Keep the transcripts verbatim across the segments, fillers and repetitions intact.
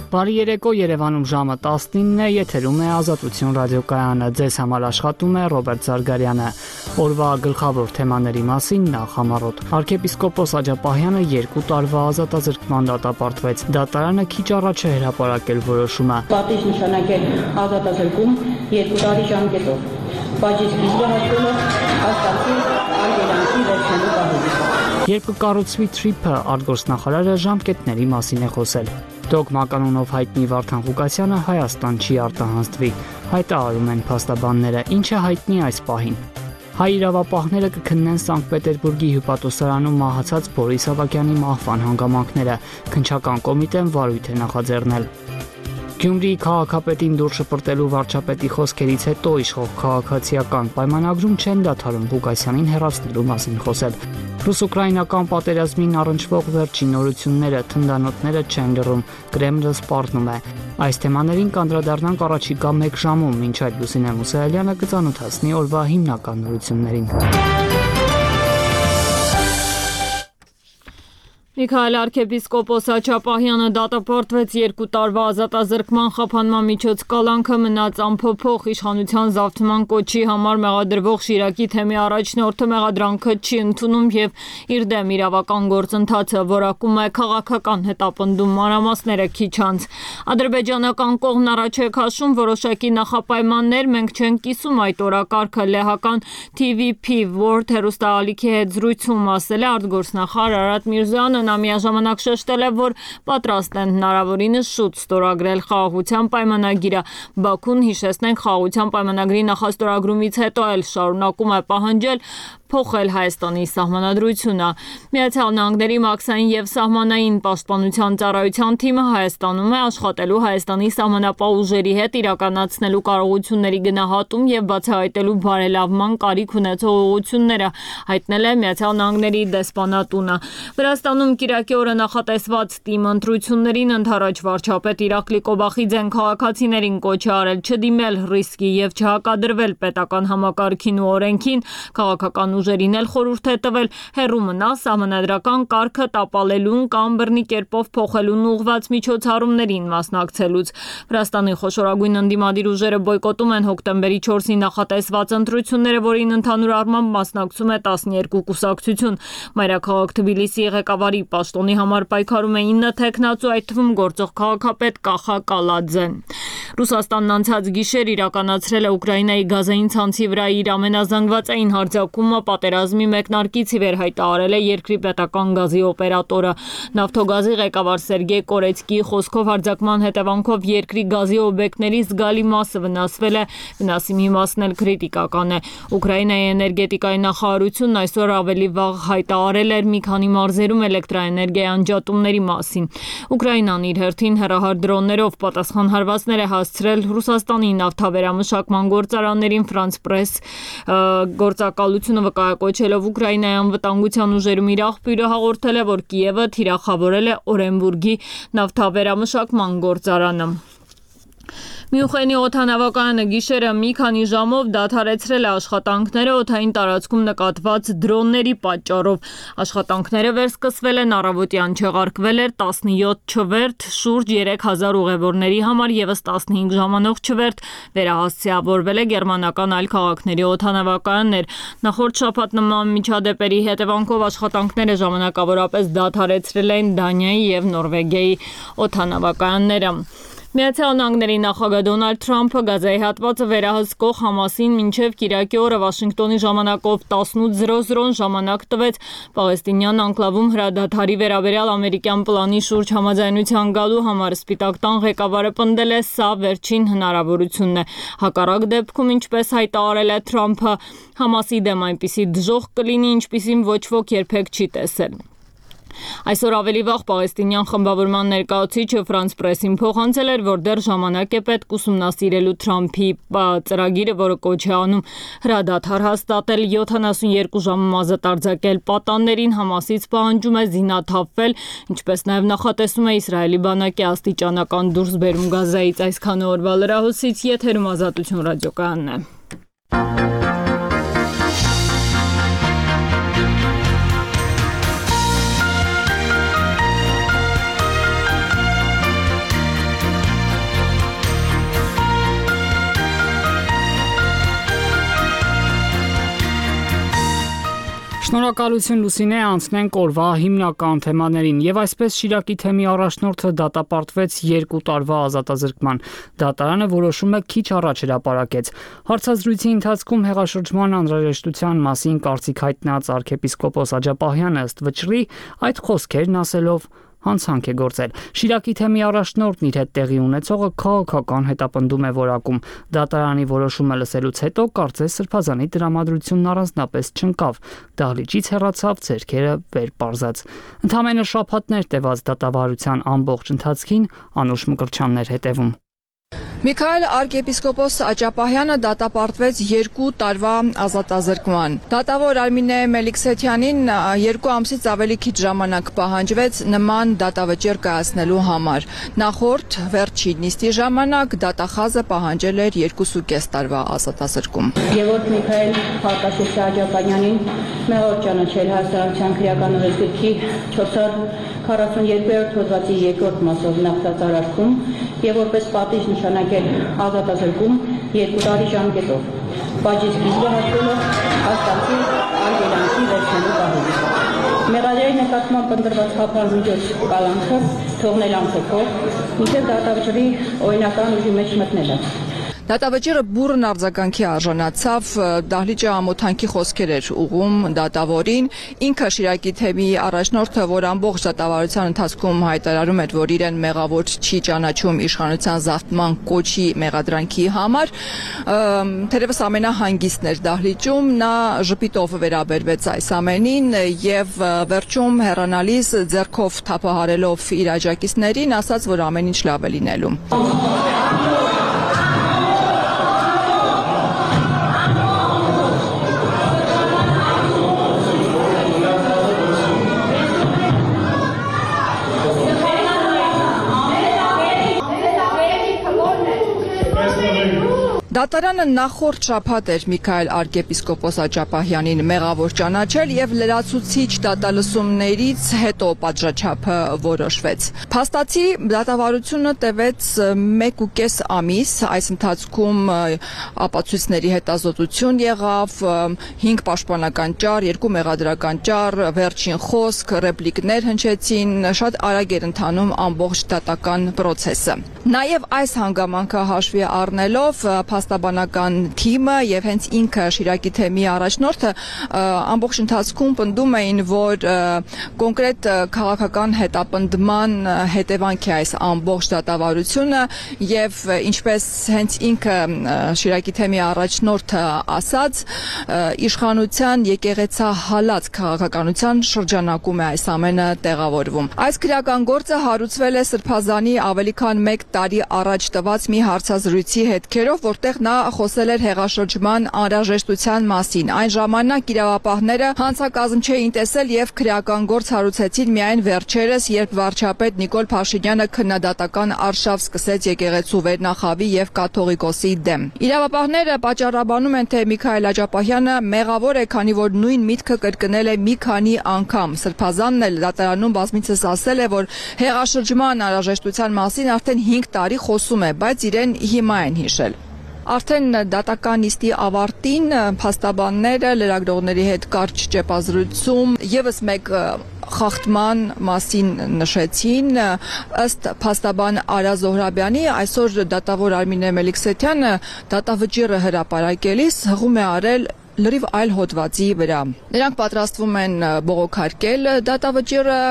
Բարի երեկո, Երևանում ժամը տասնինն է, եթերում է Ազատություն ռադիոկայանը, ձեզ համար աշխատում է Ռոբերտ Զարգարյանը։ Օրվա գլխավոր թեմաների մասին նախ համառոտ։ Արքեպիսկոպոս Աջապահյանը երկու տարվա ազատազրկման դատապարտվեց։ Դատարանը քիչ առաջ է հրապարակել որոշումը։ Պատիժ նշանակել ազատազրկում երկու տարի ժամկետով։ Բաժի սկիզբը հաշվելով հաստատի արգելանքի վերջնելու պահից։ Երբ կկառուցվի թրիփը, արտգործնախարարը ժամկետների մասին է խոսել։ Դոգմա կանոնով հայտնի Վարդան Ղուկասյանը Հայաստան չի արտահանձնվի, հայտարարում են փաստաբանները, ինչը հայտնի այս պահին։ Հայ իրավապահները կքննեն Սանկտ Պետերբուրգի հյուպատոսարանում մահացած Բորիս Ավագյանի մահվան հանգամանքները, քննչական կոմիտեն վարույթ է նախաձեռնել։ Գյումրիի քաղաքապետին դուր շպրտելու վարչապետի խոսքերից հետո իշխող քաղաքացիական պայմանագրում չեն դադարում Ղուկասյանին հեռացնելու մասին խոսել։ Ռուս-ուկրաինական պատերազմին առնչվող վերջին նորությունները, թնդանոթները չեն լռում, Կրեմլը սպառնում է։ Այս թեմաներին կանդրադառնանք առաջիկա մեկ ժամում, մինչ այդ Լուսինե Մուսայելյանը կծանոթացնի օրվա հիմնական նորություններին։ Միքայել arczepiskopos Աջապահյանը դատապարտվեց երկու տարվա ազատազրկման խափանման միջոց կալանքը մնաց անփոփոխ իշխանության զավթման կոչի համար մեղադրվող Շիրակի թեմի առաջնորդը մեղադրանքը չի ընդունում եւ իր դեմ իրավական գործընթացը որակում է քաղաքական հետապնդում մանրամասները քիչ անց։ Ադրբեջանական կողմն առաջ է քաշում որոշակի նախապայմաններ, մենք չենք կիսում այդ օրակարգը լեհական T V P World հեռուստաալիքի հետ զրույցում ասել է արտգործնախարար Արարատ Միրզոյանը։ Նա միաժամանակ շեշտել է, որ պատրաստ են հնարավորինս շուտ ստորագրել խաղաղության պայմանագիրը։ Բաքուն, հիշեցնենք, խաղաղության պայմանագրի նախաստորագրումից հետո էլ շարունակում է պահանջել փոխել Հայաստանի սահմանադրությունը։ Միացյալ Նահանգների մաքսային եւ սահմանային պաշտպանության ծառայության թիմը Հայաստանում է աշխատելու Հայաստանի սահմանապահ ուժերի հետ իրականացնելու կարողությունների գնահատում եւ բացահայտելու բարելավման կարիք ունեցող ուղղությունները, հայտնել է Միացյալ Նահանգների դեսպանատունը։ Վրաստանում Կիրակի օրը նախատեսված թիմ ընտրություններին ընդառաջ վարչապետ Իրակլի Կոբախիձեն քաղաքացիներին կոչ է արել չդիմել ռիսկի եւ չհակադրվել պետական համակարգին ու օրենքին, քաղաքական ուժերին էլ խորհուրդ է տվել հեռու մնալ սահմանադրական կարգը տապալելուն կամ բռնի կերպով փոխելուն ուղղված միջոցառումներին մասնակցելուց։ Վրաստանի խոշորագույն ընդդիմադիր ուժերը բոյկոտում են հոկտեմբերի չորսին նախատեսված ընտրությունները, որին ընդհանուր առմամբ մասնակցում է տասներկու կուսակցություն։ Մայրաքաղաք Թբիլիսիի ղեկավարի պաշտոնի համար պայքարում է ինը թեկնածու, այդ թվում գործող քաղաքապետ Կախա Կալաձեն։ Ռուսաստանն անցած գիշեր իրականացրել է Ուկրաինայի գազային ցանցի վրա իր ամենազանգվածային հարձակումը, պատերազմի մեկնարկից ի վեր հայտարարել է երկրի պետական գազի օպերատորը։ Նավթոգազի ղեկավար Սերգեյ Կորեցկիի խոսքով հարձակման հետևանքով երկրի գազի օբյեկտների զգալի մասը վնասվել է, վնասի մի մասն էլ քրիտիկական է։ Ուկրաինայի էներգետիկայի նախարարությունն այսօր ավելի վաղ հայտարարել էր մի քանի մարզերում էլեկտրաէներգիայի անջատումների մասին։ Ուկրաինան իր հերթին հեռահար դրոններով պատասխան հարվածներ է հասցրել Ռուսաստանի նավթավերամշակման գործարաններին։ Ֆրանս Պրես գործակալությունը վկայակոչելով Ուկրաինայի անվտանգության ուժերում իր աղբյուրը հաղորդել է, որ Կիևը թիրախավորել է Օրենբուրգի նավթավերամշակման գործարանը։ Մյունխենի օդանավակայանը գիշերը մի քանի ժամով դադարեցրել է աշխատանքները օդային տարածքում նկատված դրոնների պատճառով։ Աշխատանքները վերսկսվել են առավոտյան, չեղարկվել էր տասնյոթ չվերթ, շուրջ երեք հազար ուղևորների համար ևս տասնհինգ ժամանող չվերթ վերահասցեավորվել է գերմանական այլ քաղաքների օդանավակայաններ։ Նախորդ շաբաթ նման միջադեպերի հետևանքով աշխատանքները ժամանակավորապես դադարեցրել են Դանիայի եւ Նորվեգիայի օդանավակայանները։ Միացյալ Նահանգների նախագահ Դոնալդ Թրամփը գազայի հատվածը վերահսկող Համասին մինչև Կիրակի օրը Վաշինգտոնի ժամանակով տասնութ զրո զրոն ժամանակ տվեց պաղեստինյան անկլավում հրադադարի վերաբերյալ ամերիկյան պլանի շուրջ համաձայնության գալու համար։ Սպիտակ տան ղեկավարը պնդել է, սա վերջին հնարավորությունն է։ Հակառակ դեպքում, ինչպես հայտարարել է Թրամփը, Համասի դեմ այնպիսի դժոխք կլինի, ինչպիսին ոչ ոք երբեք չի տեսել։ Այսօր ավելի վաղ պաղեստինյան խմբավորման ներկայացուցիչը Ֆրանս Պրեսին փոխանցել էր, որ դեռ ժամանակ է պետք ուսումնասիրելու Թրամփի ծրագիրը, որը կոչ է անում հրադադար հաստատել, յոթանասունյերկու ժամում ազատ արձակել պատաններին, Համասից պահանջում է զինաթափվել, ինչպես նաև նախատեսում է Իսրայելի բանակի աստիճանական դուրսբերում Գազայից։ Այսքանը օրվա լրահոսից, եթերում Ազատություն ռադիոկայանն է։ Շնորհակալություն Լուսինե, անցնենք օրվա հիմնական թեմաներին եւ այսպես Շիրակի թեմի առաջնորդը դատապարտվեց երկու տարվա ազատազրկման։ Դատարանը որոշումը քիչ առաջ հրապարակեց։ Հարցազրույցի ընթացքում հեղաշրջման անհրաժեշտության մասին կարծիք հայտնած arczepiskopos Աջապահյանը ըստ վճռի այդ խոսքերն ասելով հանցանք է գործել։ Շիրակի թեմի առաջնորդն իր հետ տեղի ունեցողը քաղաքական հետապնդում է որակում։ Դատարանի որոշումը լսելուց հետո կարծես Սրբազանի տրամադրությունն առանձնապես չընկավ։ Դահլիճից հեռացավ, ձեռքերը վեր պարզած։ Ընդամենը շաբաթներ տևած դատավարության ամբողջ ընթացքին Անուշ Մկրտչյանն էր հետևում։ Միքայել arczepiskopos Աջապահյանը դատապարտվեց երկու տարվա ազատազրկման։ Դատավոր Արմինե Մելիքսեթյանին երկու ամսից ավելի քիչ ժամանակ պահանջվեց նման դատավճիռ կայացնելու համար։ Նախորդ վերջին նիստի ժամանակ դատախազը պահանջել էր երկուսուկես տարվա ազատազրկում։ Եվորդ Միքայել Հակասիսի Աջապահյանին մեղավոր ճանաչել Հայաստանության քրեական օրենսգրքի չորս հարյուր քառասունյոթերորդ հոդվածի երկրորդ մասով նախտած արարքում եւ որպես պատիժ նշանակել ազատազրկում երկու տարի ժամկետով։ Բաժից գիզը հաշվելով հաստատի արգելանքի վերջնելու պահանջը։ Մեղադրի նկատմամբ ընտրված խափանմիջոց կալանքը թողնել անփոփոխ, մինչև դատավճռի օրինական ուժի մեջ մտնելը։ Դատավճիռը բուռն արձագանքի արժանացավ, դահլիճը ամոթանքի խոսքեր էր ուղում դատավորին, ինքը Շիրակի թեմի առաջնորդը, որ ամբողջ դատավարության ընթացքում հայտարարում էր, որ իրեն մեղավոր չի ճանաչում իշխանության զավթման կոչի մեղադրանքի համար, թերևս ամենահանգիստն էր դահլիճում, նա ժպիտով վերաբերվեց այս ամենին եւ վերջում հեռանալիս ձեռքով թափահարելով իր աջակիցներին ասաց, որ ամեն ինչ լավ է լինելու։ Դատարանը նախորդ շաբաթ էր Միքայել arczepiskopos Աջապահյանին մեղավոր ճանաչել եւ լրացուցիչ դատալսումներից հետո պատժաչափը որոշվեց։ Փաստացի դատավարությունը տևեց մեկուկես ամիս, այս ընթացքում ապացույցների հետազոտություն եղավ, հինգ պաշտպանական ճառ, երկու մեղադրական ճառ, վերջին խոսք, ռեպլիկներ հնչեցին, շատ արագ էր ընթանում ամբողջ դատական process-ը։ Նաեւ այս հանգամանքը հաշվի առնելով փաստաբանական թիմը եւ հենց ինքը Շիրակի թեմի առաջնորդը ամբողջ ընթացքում պնդում էին, որ կոնկրետ քաղաքական հետապնդման հետևանք է այս ամբողջ դատավարությունը եւ ինչպես հենց ինքը Շիրակի թեմի առաջնորդը ասաց, իշխանության եկեղեցահալած քաղաքականության շրջանակում է այս ամենը տեղավորվում։ Այս քրեական գործը հարուցվել է Սրբազանի ավելի քան մեկ տարի առաջ տված մի հարցազրույցի հետքերով, որտեղ նա խոսել էր հեղաշրջման անհրաժեշտության մասին։ Այն ժամանակ իրավապահները հանցակազմ չէին տեսել եւ քրեական գործ հարուցեցին միայն վերջերս, երբ վարչապետ Նիկոլ Փաշինյանը քննադատական արշավ սկսեց եկեղեցու վերնախավի եւ կաթողիկոսի դեմ։ Իրավապահները պատճառաբանում են, թե Միքայել Աջապահյանը մեղավոր է, քանի որ նույն միտքը կրկնել է մի քանի անգամ։ Սրբազանն էլ դատարանում բազմիցս ասել է, որ հեղաշրջման անհրաժեշտության մասին արդեն հինգ տարի խոսում է, բայց իրեն հիմա են հիշել։ Արդեն դատական նիստի ավարտին փաստաբանները լրագրողների հետ կարճ ճեպազրույցում եւս մեկ խախտման մասին նշեցին, ըստ փաստաբան Արա Զոհրաբյանի, այսօր դատավոր Արմինե Մելիքսեթյանը դատավճիռը հրապարակելիս հղում է արել լրիվ այլ հոդվածի վրա։ Նրանք պատրաստվում են բողոքարկել դատավճիռը,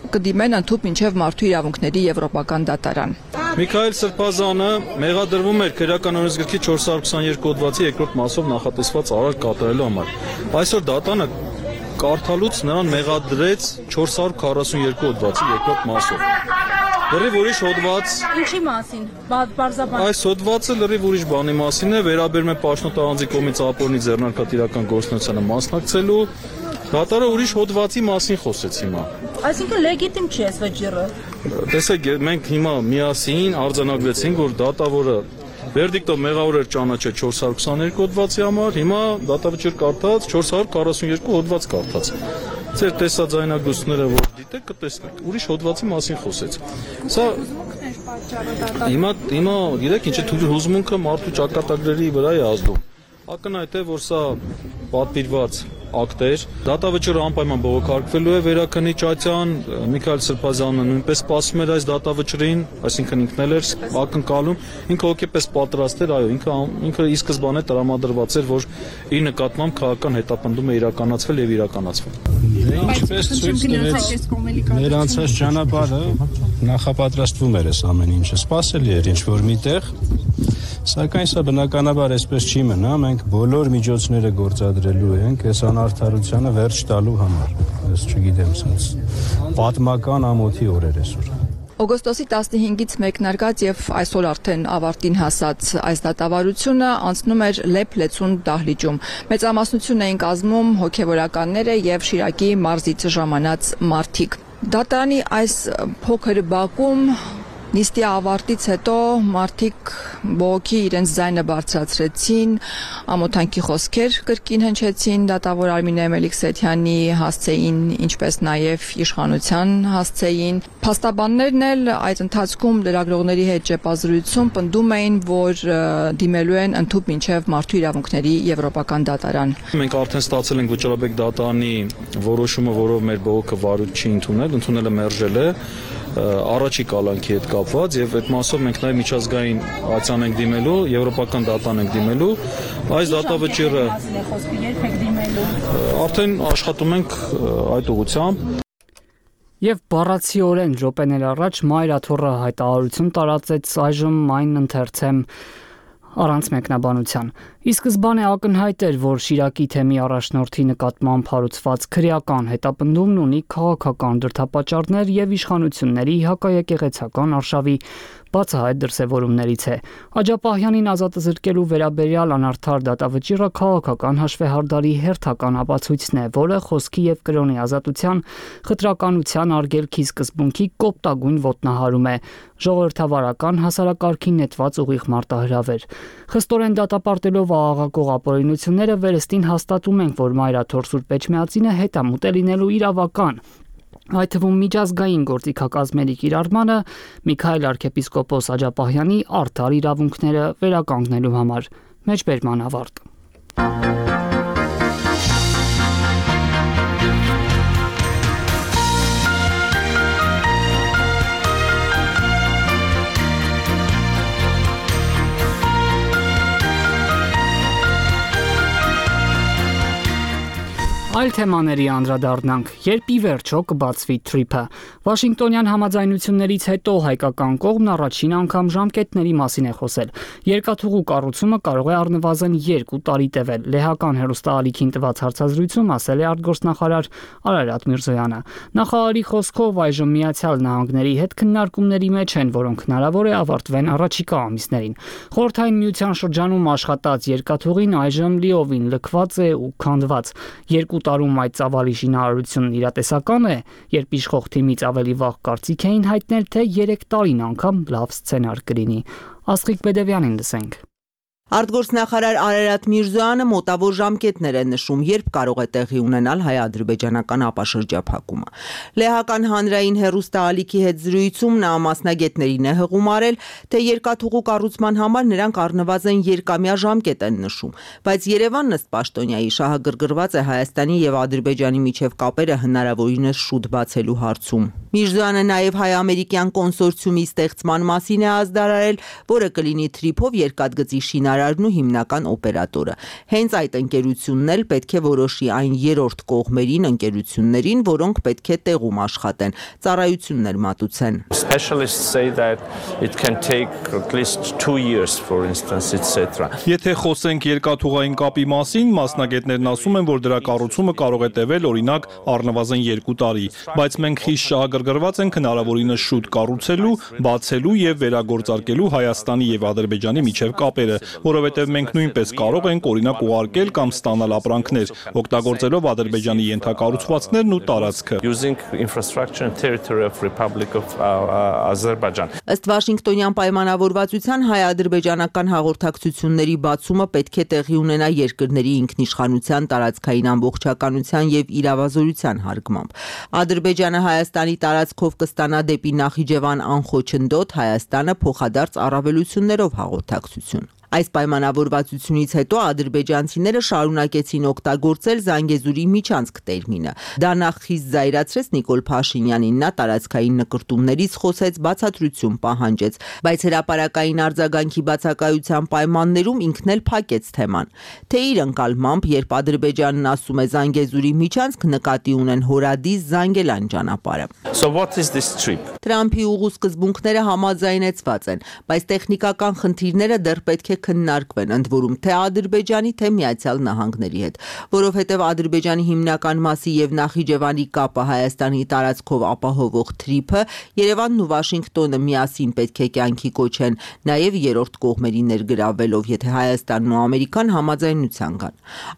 կդիմեն ընդհուպ մինչև մարդու իրավունքների եվրոպական դատարան։ Միքայել Սրբազանը մեղադրվում էր քրեական օրենսգրքի չորս հարյուր քսաներկու հոդվածի երկրորդ մասով նախատեսված արարք կատարելու համար։ Այսօր դատանը կարդալուց նրան մեղադրեց չորս հարյուր քառասունյոթ հոդվածի երկրորդ մասով։ Լրիվ ուրիշ հոդված։ Ինչի մասին։ Բարձաբան։ Այս հոդվածը լրիվ ուրիշ բանի մասին է, վերաբերում է Պաշտոն տարանձի կողմից ապօրինի ձեռնարկատիրական գործունեությանը մասնակցելու։ Դատարանը ուրիշ հոդվածի մասին խոսեց հիմա։ Այսինքն լեգիտիմ չի այս վճիռը։ Տեսեք, մենք հիմա միասին արձանագրեցինք, որ դատավորը վերդիկտով մեղավոր էր ճանաչել չորս հարյուր քսաներկու հոդվածի համար, հիմա դատավճիռ կարդաց չորս հարյուր քառասունյոթ հոդված կարդաց։ Ձեր տեսաձայնագրությունները որ դիտեք, կտեսնեք, ուրիշ հոդվածի մասին խոսեց։ Սա հիմա հիմա գիտեք ինչ է, հուզմունքը մարդու ճակատագրերի վրա է ազդում։ Ակնհայտ է, որ սա պատվիրված ակտեր։ Դատավճիռը անպայման բողոքարկվելու է Վերաքննիչ Ատյան, Միքայել Սրբազյանը նույնպես սպասում էր այս դատավճռին, այսինքն ինքն էլ էր ակնկալում, ինքը հոգեպես պատրաստ էր, այո, ինքը ինքը ի սկզբանե տրամադրված էր, որ իր նկատմամբ քաղաքական հետապնդում է իրականացվել եւ իրականացվել։ Դե ինչպես ցույց տվեց մեր անցած ճանապարհը, նախապատրաստվում էր այս ամեն ինչը, սпасելի էր ինչ որ միտեղ, սակայն սա բնականաբար այսպես չի մնա, մենք բոլոր միջոցները գործադրելու ենք այս անարդարությանը վերջ տալու համար, ես չգիտեմ, սենց պատմական ամոթի օրեր այսօր։ Օգոստոսի տասնհինգից մեկնարկած եւ այսօր արդեն ավարտին հասած այս դատավարությունը անցնում էր Լեփ-Լեցուն դահլիճում։ Մեծամասնություն էին կազմում հոգեվորականները եւ Շիրակի մարզից ժամանած մարդիկ։ Դատարանի այս փոքր բակում նիստի ավարտից հետո մարդիկ բողոքի իրենց ձայնը բարձրացրեցին, ամոթանքի խոսքեր կրկին հնչեցին դատավոր Արմինե Մելիքսեթյանի հասցեին, ինչպես նաև իշխանության հասցեին։ Փաստաբաններն էլ այդ ընթացքում լրագրողների հետ ճեպազրույցում պնդում էին, որ դիմելու են ընդհուպ մինչև մարդու իրավունքների եվրոպական դատարան։ Մենք արդեն ստացել ենք Վճռաբեկ դատարանի որոշումը, որով մեր բողոքը վարույթ չի ընդունել, ընդունելը մերժել է առաջի կալանքի հետ կապված եւ այդ մասով մենք նաեւ միջազգային ացան ենք դիմելու, եվրոպական դատան ենք դիմելու, այս դատավճիռը արդեն աշխատում ենք այդ ուղղությամբ։ Եվ բառացիորեն րոպեներ առաջ Մայրաթոռը հայտարարություն տարածեց այժմ այն ընթերցեմ առանց մեկնաբանության։ Ի սկզբանե ակնհայտ էր, որ Շիրակի թեմի առաջնորդի նկատմամբ հարուցված քրեական հետապնդումն ունի քաղաքական դրդապատճառներ եւ իշխանությունների հակաեկեղեցական արշավի բացահայտ դրսևորումներից է։ Աջապահյանին ազատազրկելու վերաբերյալ անարդար դատավճիռը քաղաքական հաշվեհարդարի հերթական ապացույցն է, որը խոսքի եւ կրոնի ազատության, խտրականության արգելքի սկզբունքի կոպտագույն ոտնահարում է, ժողովրդավարական հասարակարգին նետված ուղիղ մարտահրավեր։ Խստորեն դատապարտելով աղաղակող ապօրինությունները վերստին հաստատում ենք, որ Մայրաթոռ Սուրբ Էջմիածինը հետամուտ է լինելու իրավական, այդ թվում միջազգային գործիքակազմերի կիրառմանը Միքայել arczepiskopos Աջապահյանի արդար իրավունքները վերականգնելու համար։ Մեջբերման ավարտ։ Այլ թեմաների անդրադառնանք, երբ ի վերջո կբացվի թրիփը։ Վաշինգտոնյան համաձայնություններից հետո հայկական կողմն առաջին անգամ ժամկետների մասին է խոսել։ Երկաթուղու կառուցումը կարող է առնվազն երկու տարի տևել։ Լեհական հեռուստաալիքին տված հարցազրույցում ասել է արտգործնախարար Արարատ Միրզոյանը։ Նախարարի խոսքով այժմ Միացյալ Նահանգների հետ քննարկումների մեջ են, որոնք հնարավոր է ավարտվեն առաջիկա ամիսներին։ Խորհրդային Միության շրջանում աշխատած երկաթուղին այժմ լիովին լքված է ու քանդված։ Երկու տարում այդ ծավալի շինարարությունն իրատեսական է, երբ իշխող թիմից ավելի վաղ կարծիք էին հայտնել, թե երեք տարին անգամ լավ սցենար կլինի։ Աստղիկ Բեդևյանին լսենք։ Արտգործնախարար Արարատ Միրզոյանը մոտավոր ժամկետներ է նշում, երբ կարող է տեղի ունենալ հայ-ադրբեջանական ապաշրջափակումը։ Լեհական հանրային հեռուստաալիքի հետ զրույցում նա մասնագետներին է հղումարել, թե երկաթուղու կառուցման համար նրանք առնվազն երկամյա ժամկետ են նշում, բայց Երևանն ըստ պաշտոնյայի շահագրգռված է Հայաստանի եւ Ադրբեջանի միջև կապերը հնարավորինս շուտ բացելու հարցում։ Միրզոյանը նաև հայ-ամերիկյան կոնսորցիումի ստեղծման մասին է ազդարարել, որը կլինի թրիփով երկաթգծի շինարարն ու հիմնական օպերատորը։ Հենց այդ ընկերությունն էլ պետք է որոշի այն երրորդ կողմերին ընկերություններին, որոնք պետք է տեղում աշխատեն, ծառայություններ մատուցեն։ Specialists say that it can take at least two years for instance et cetera. Եթե խոսենք երկաթուղային կապի մասին, մասնագետներն ասում են, որ դրա կառուցումը կարող է տևել օրինակ առնվազն երկու տարի, բայց մենք խիստ շահագրգռված ենք հնարավորինս շուտ կառուցելու, բացելու եւ վերագործարկելու Հայաստանի եւ Ադրբեջանի միջև կապերը, որովհետեւ մենք նույնպես կարող ենք օրինակ ուղարկել կամ ստանալ ապրանքներ, օգտագործելով Ադրբեջանի ենթակառուցվածքներն ու տարածքը։ Using infrastructure and territory of Republic of Azerbaijan. Ըստ Վաշինգտոնյան պայմանավորվածության հայ-ադրբեջանական հաղորդակցությունների բացումը պետք է տեղի ունենա երկրների ինքնիշխանության, տարածքային ամբողջականության եւ իրավազորության հարգմամբ։ Ադրբեջանը Հայաստանի տարածքով կստանա դեպի Նախիջևան անխոչնդոտ, Հայաստանը փոխադարձ առավելություններով հաղորդակցություն։ Այս պայմանավորվածությունից հետո ադրբեջանցիները շարունակեցին օգտագործել Զանգեզուրի միջանցք տերմինը։ Դա նախ խիստ զայրացրեց Նիկոլ Փաշինյանին, նա տարածքային նկրտումներից խոսեց, բացատրություն պահանջեց, բայց հրապարակային արձագանքի բացակայության պայմաններում ինքն էլ փակեց թեման։ Թե իր ընկալմամբ, երբ Ադրբեջանն ասում է Զանգեզուրի միջանցք, նկատի ունեն Հորադիս Զանգելան ճանապարհը։ So what is this trip? Տրամփի ուղու սկզբունքները համաձայնեցված են, բայց տեխնիկական խնդիրները դեռ պետք է քննարկվեն, ընդ որում թե Ադրբեջանի, թե Միացյալ Նահանգների հետ, որովհետև Ադրբեջանի հիմնական մասի եւ Նախիջևանի կապը Հայաստանի տարածքով ապահովող թրիփը Երևանն ու Վաշինգտոնը միասին պետք է կյանքի կոչեն, նաեւ երրորդ կողմերի ներգրավելով, եթե Հայաստանն ու Ամերիկան համաձայնության գան։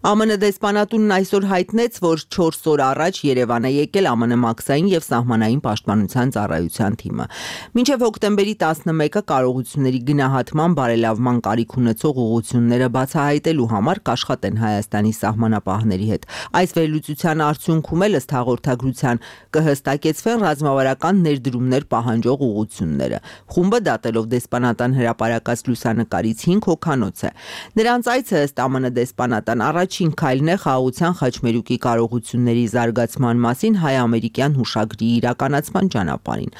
ԱՄՆ դեսպանատունն այսօր հայտնեց, որ չորս օր առաջ Երևան է եկել ԱՄՆ մաքսային եւ սահմանային պաշտպանության ծառայության թիմը։ Մինչև հոկտեմբերի տասնմեկը կարողությունների գնահատման բարելավման կարիք ունեցող ուղղությունները բացահայտելու համար կաշխատեն Հայաստանի սահմանապահների հետ։ Այս վերլուծության արդյունքում էլ ըստ հաղորդագրության կհստակեցվեն ռազմավարական ներդրումներ պահանջող ուղղությունները։ Խումբը դատելով դեսպանատան հրապարակած լուսանկարից հինգ հոգանոց է։ Նրանց այցը ըստ ԱՄՆ դեսպանատան առաջին քայլն է խաղաղության խաչմերուկի կարողությունների զարգացման մասին հայ-ամերիկյան հուշագրի իրականացման ճանապարհին։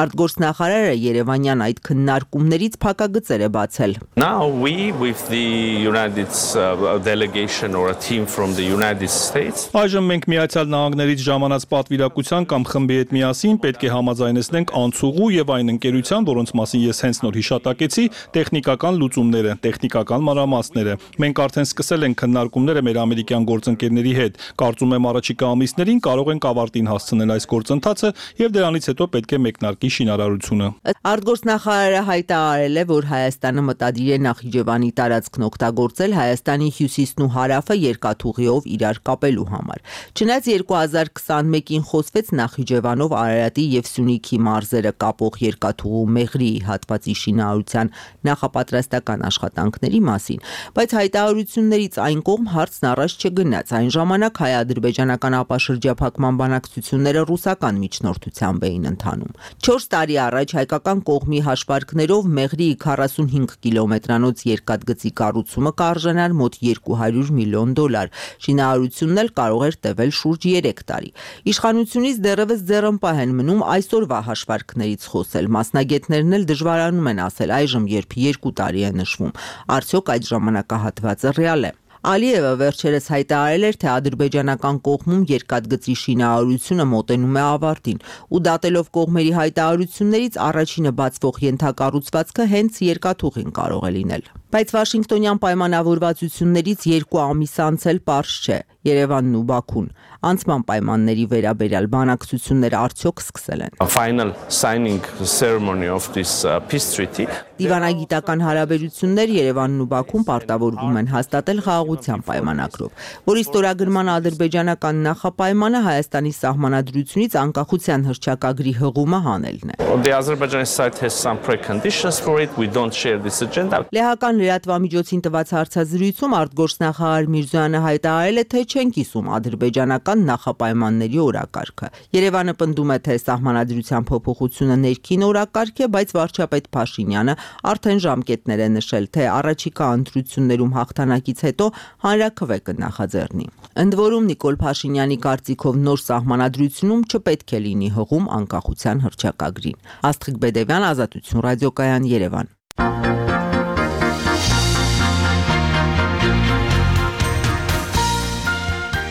Արտգործնախարարը Երևանյան այդ քննարկումներից փակագծեր է բացել։ Now we with the United uh, delegation or a team from the United States. Այժմ մենք Միացյալ Նահանգներից ժամանած պատվիրակության կամ խմբի հետ միասին պետք է համաձայնեցնենք անցուղու եւ այն ընկերության, որոնց մասին ես հենց նոր հիշատակեցի, տեխնիկական լուծումները, տեխնիկական մանրամասները։ Մենք արդեն սկսել ենք քննարկումները մեր ամերիկյան գործընկերների հետ։ Կարծում եմ առաջիկա ամիսներին կարող ենք ավարտին հասցնել այս գործընթացը եւ դրանից հետո պետք է մեկնարկի շինարարությունը։ Արտգործնախարարը հայտարարել է, որ Հայաստանը մտադիր է Նախիջևանի տարածքն օգտագործել Հայաստանի հյուսիսն ու հարավը երկաթուղիով իրար կապելու համար։ Չնայած երկու հազար քսանմեկին խոսվեց Նախիջևանով Արարատի եւ Սյունիքի մարզերը կապող երկաթուղու Մեղրիի հատվածի շինարարության նախապատրաստական աշխատանքների մասին, բայց հայտարարություններից այն կողմ հարցն առաջ չգնաց։ Այն ժամանակ հայ-ադրբեջանական ապաշրջափակման բանակցությունները ռուսական միջնորդությամբ էին ընթանում։ չորս տարի առաջ հայկական կողմի հաշվարկներով Մեղրիի քառասունհինգ կիլոմետրանոց երկաթգծի կառուցումը կարժանար մոտ երկու հարյուր միլիոն դոլար։ Շինարարությունն էլ կարող էր տևել շուրջ երեք տարի։ Իշխանությունից դեռևս ձեռնպահ են մնում այսօրվա հաշվարկներից խոսել։ Մասնագետներն էլ դժվարանում են ասել այժմ, երբ երկու տարի է նշվում, արդյոք այդ ժամանակահատվածը ռեալ է։ Ալիևը վերջերս հայտարարել էր, թե ադրբեջանական կողմում երկաթգծի շինարարությունը մոտենում է ավարտին ու դատելով կողմերի հայտարարություններից առաջինը բացվող ենթակառուցվածքը հենց երկաթուղին կարող է լինել։ Բայց Վաշինգտոնյան պայմանավորվածություններից երկու ամիս անց էլ պարզ չէ։ Երևանն ու Բաքուն անցման պայմանների վերաբերյալ բանակցությունները արդյոք սկսել են։ Final signing ceremony of this uh, peace treaty. Դիվանագիտական հարաբերություններ Երևանն ու Բաքուն պարտավորվում են հաստատել խաղաղության պայմանագրով, որի ստորագրման ադրբեջանական նախապայմանը Հայաստանի սահմանադրությունից անկախության հռչակագրի հղումը հանելն է։ The Azerbaijani side has some preconditions for it. We don't share this agenda. Լեհական լրատվամիջոցին տված հարցազրույցում արտգործնախարար Միրզոյանը հայտարարել է, թե չեն կիսում ադրբեջանական նախապայմանների օրակարգը։ Երևանը պնդում է, թե սահմանադրության փոփոխությունը ներքին օրակարգ է, բայց վարչապետ Փաշինյանը արդեն ժամկետներ է նշել, թե առաջիկա ընտրություններում հաղթանակից հետո հանրաքվե կնախաձեռնի։ Ընդ որում Նիկոլ Փաշինյանի կարծիքով նոր սահմանադրությունում չպետք է լինի հղում անկախության հռչակագրին։ Աստղիկ Բեդևյան, Ազատություն ռադիոկայան, Երևան։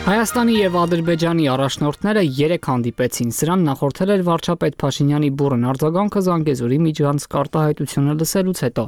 Հայաստանի եւ Ադրբեջանի առաջնորդները երեք հանդիպեցին։ Սրան նախորդել էր վարչապետ Փաշինյանի բուրըն արձագանքը Զանգեզուրի միջանցք արտահայտությունը լսելուց հետո։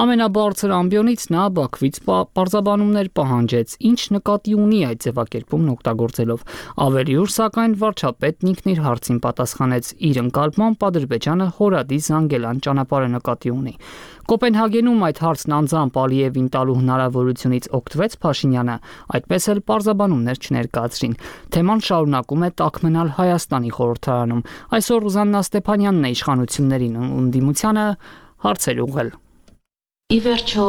Ամենաբարձր ամբիոնից նա Բաքվից պարզաբանումներ պահանջեց, ինչ նկատի ունի այդ ձևակերպումն օգտագործելով։ Ավելի ուշ, սակայն, վարչապետն ինքն իր հարցին պատասխանեց, իր ընկալմամբ Ադրբեջանը Հորադի Զանգելան ճանապարհը նկատի ունի։ Կոպենհագենում այդ հարցն անձամբ Ալիևին տալու հնարավորությունից օգտվեց Փաշինյանը, այդպես էլ պարզաբանումներ չներկայացրին։ Թեման շարունակում է տաք մնալ Հայաստանի խորհրդարանում։ Այսօր Ռուզաննա Ստեփանյանն է իշխանություններին ու ընդդիմությանը հարցեր ուղղել։ Ի վերջո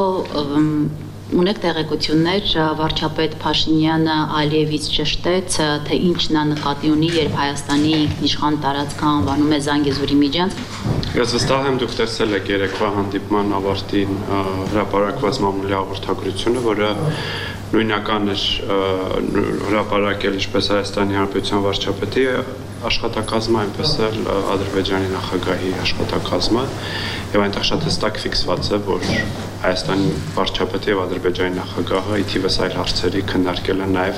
Ունեք տեղեկություններ, վարչապետ Փաշինյանը Ալիևից ճշտեց, թե ինչն է նկատի ունի, երբ Հայաստանի ինքնիշխան տարածքը անվանում է Զանգեզուրի միջանցք։ Ես վստահ եմ, դուք տեսել եք երեկվա հանդիպման ավարտին հրապարակված մամուլի հաղորդագրությունը, որը նույնական էր հրապարակել ինչպես Հայաստանի Հանրապետության վարչապետի աշխատակազմը, այնպես էլ Ադրբեջանի նախագահի աշխատակազմը, եւ այնտեղ շատ հստակ ֆիքսված է, որ Հայաստանի վարչապետը եւ Ադրբեջանի նախագահը ի թիվս այլ հարցերի քննարկել են նաեւ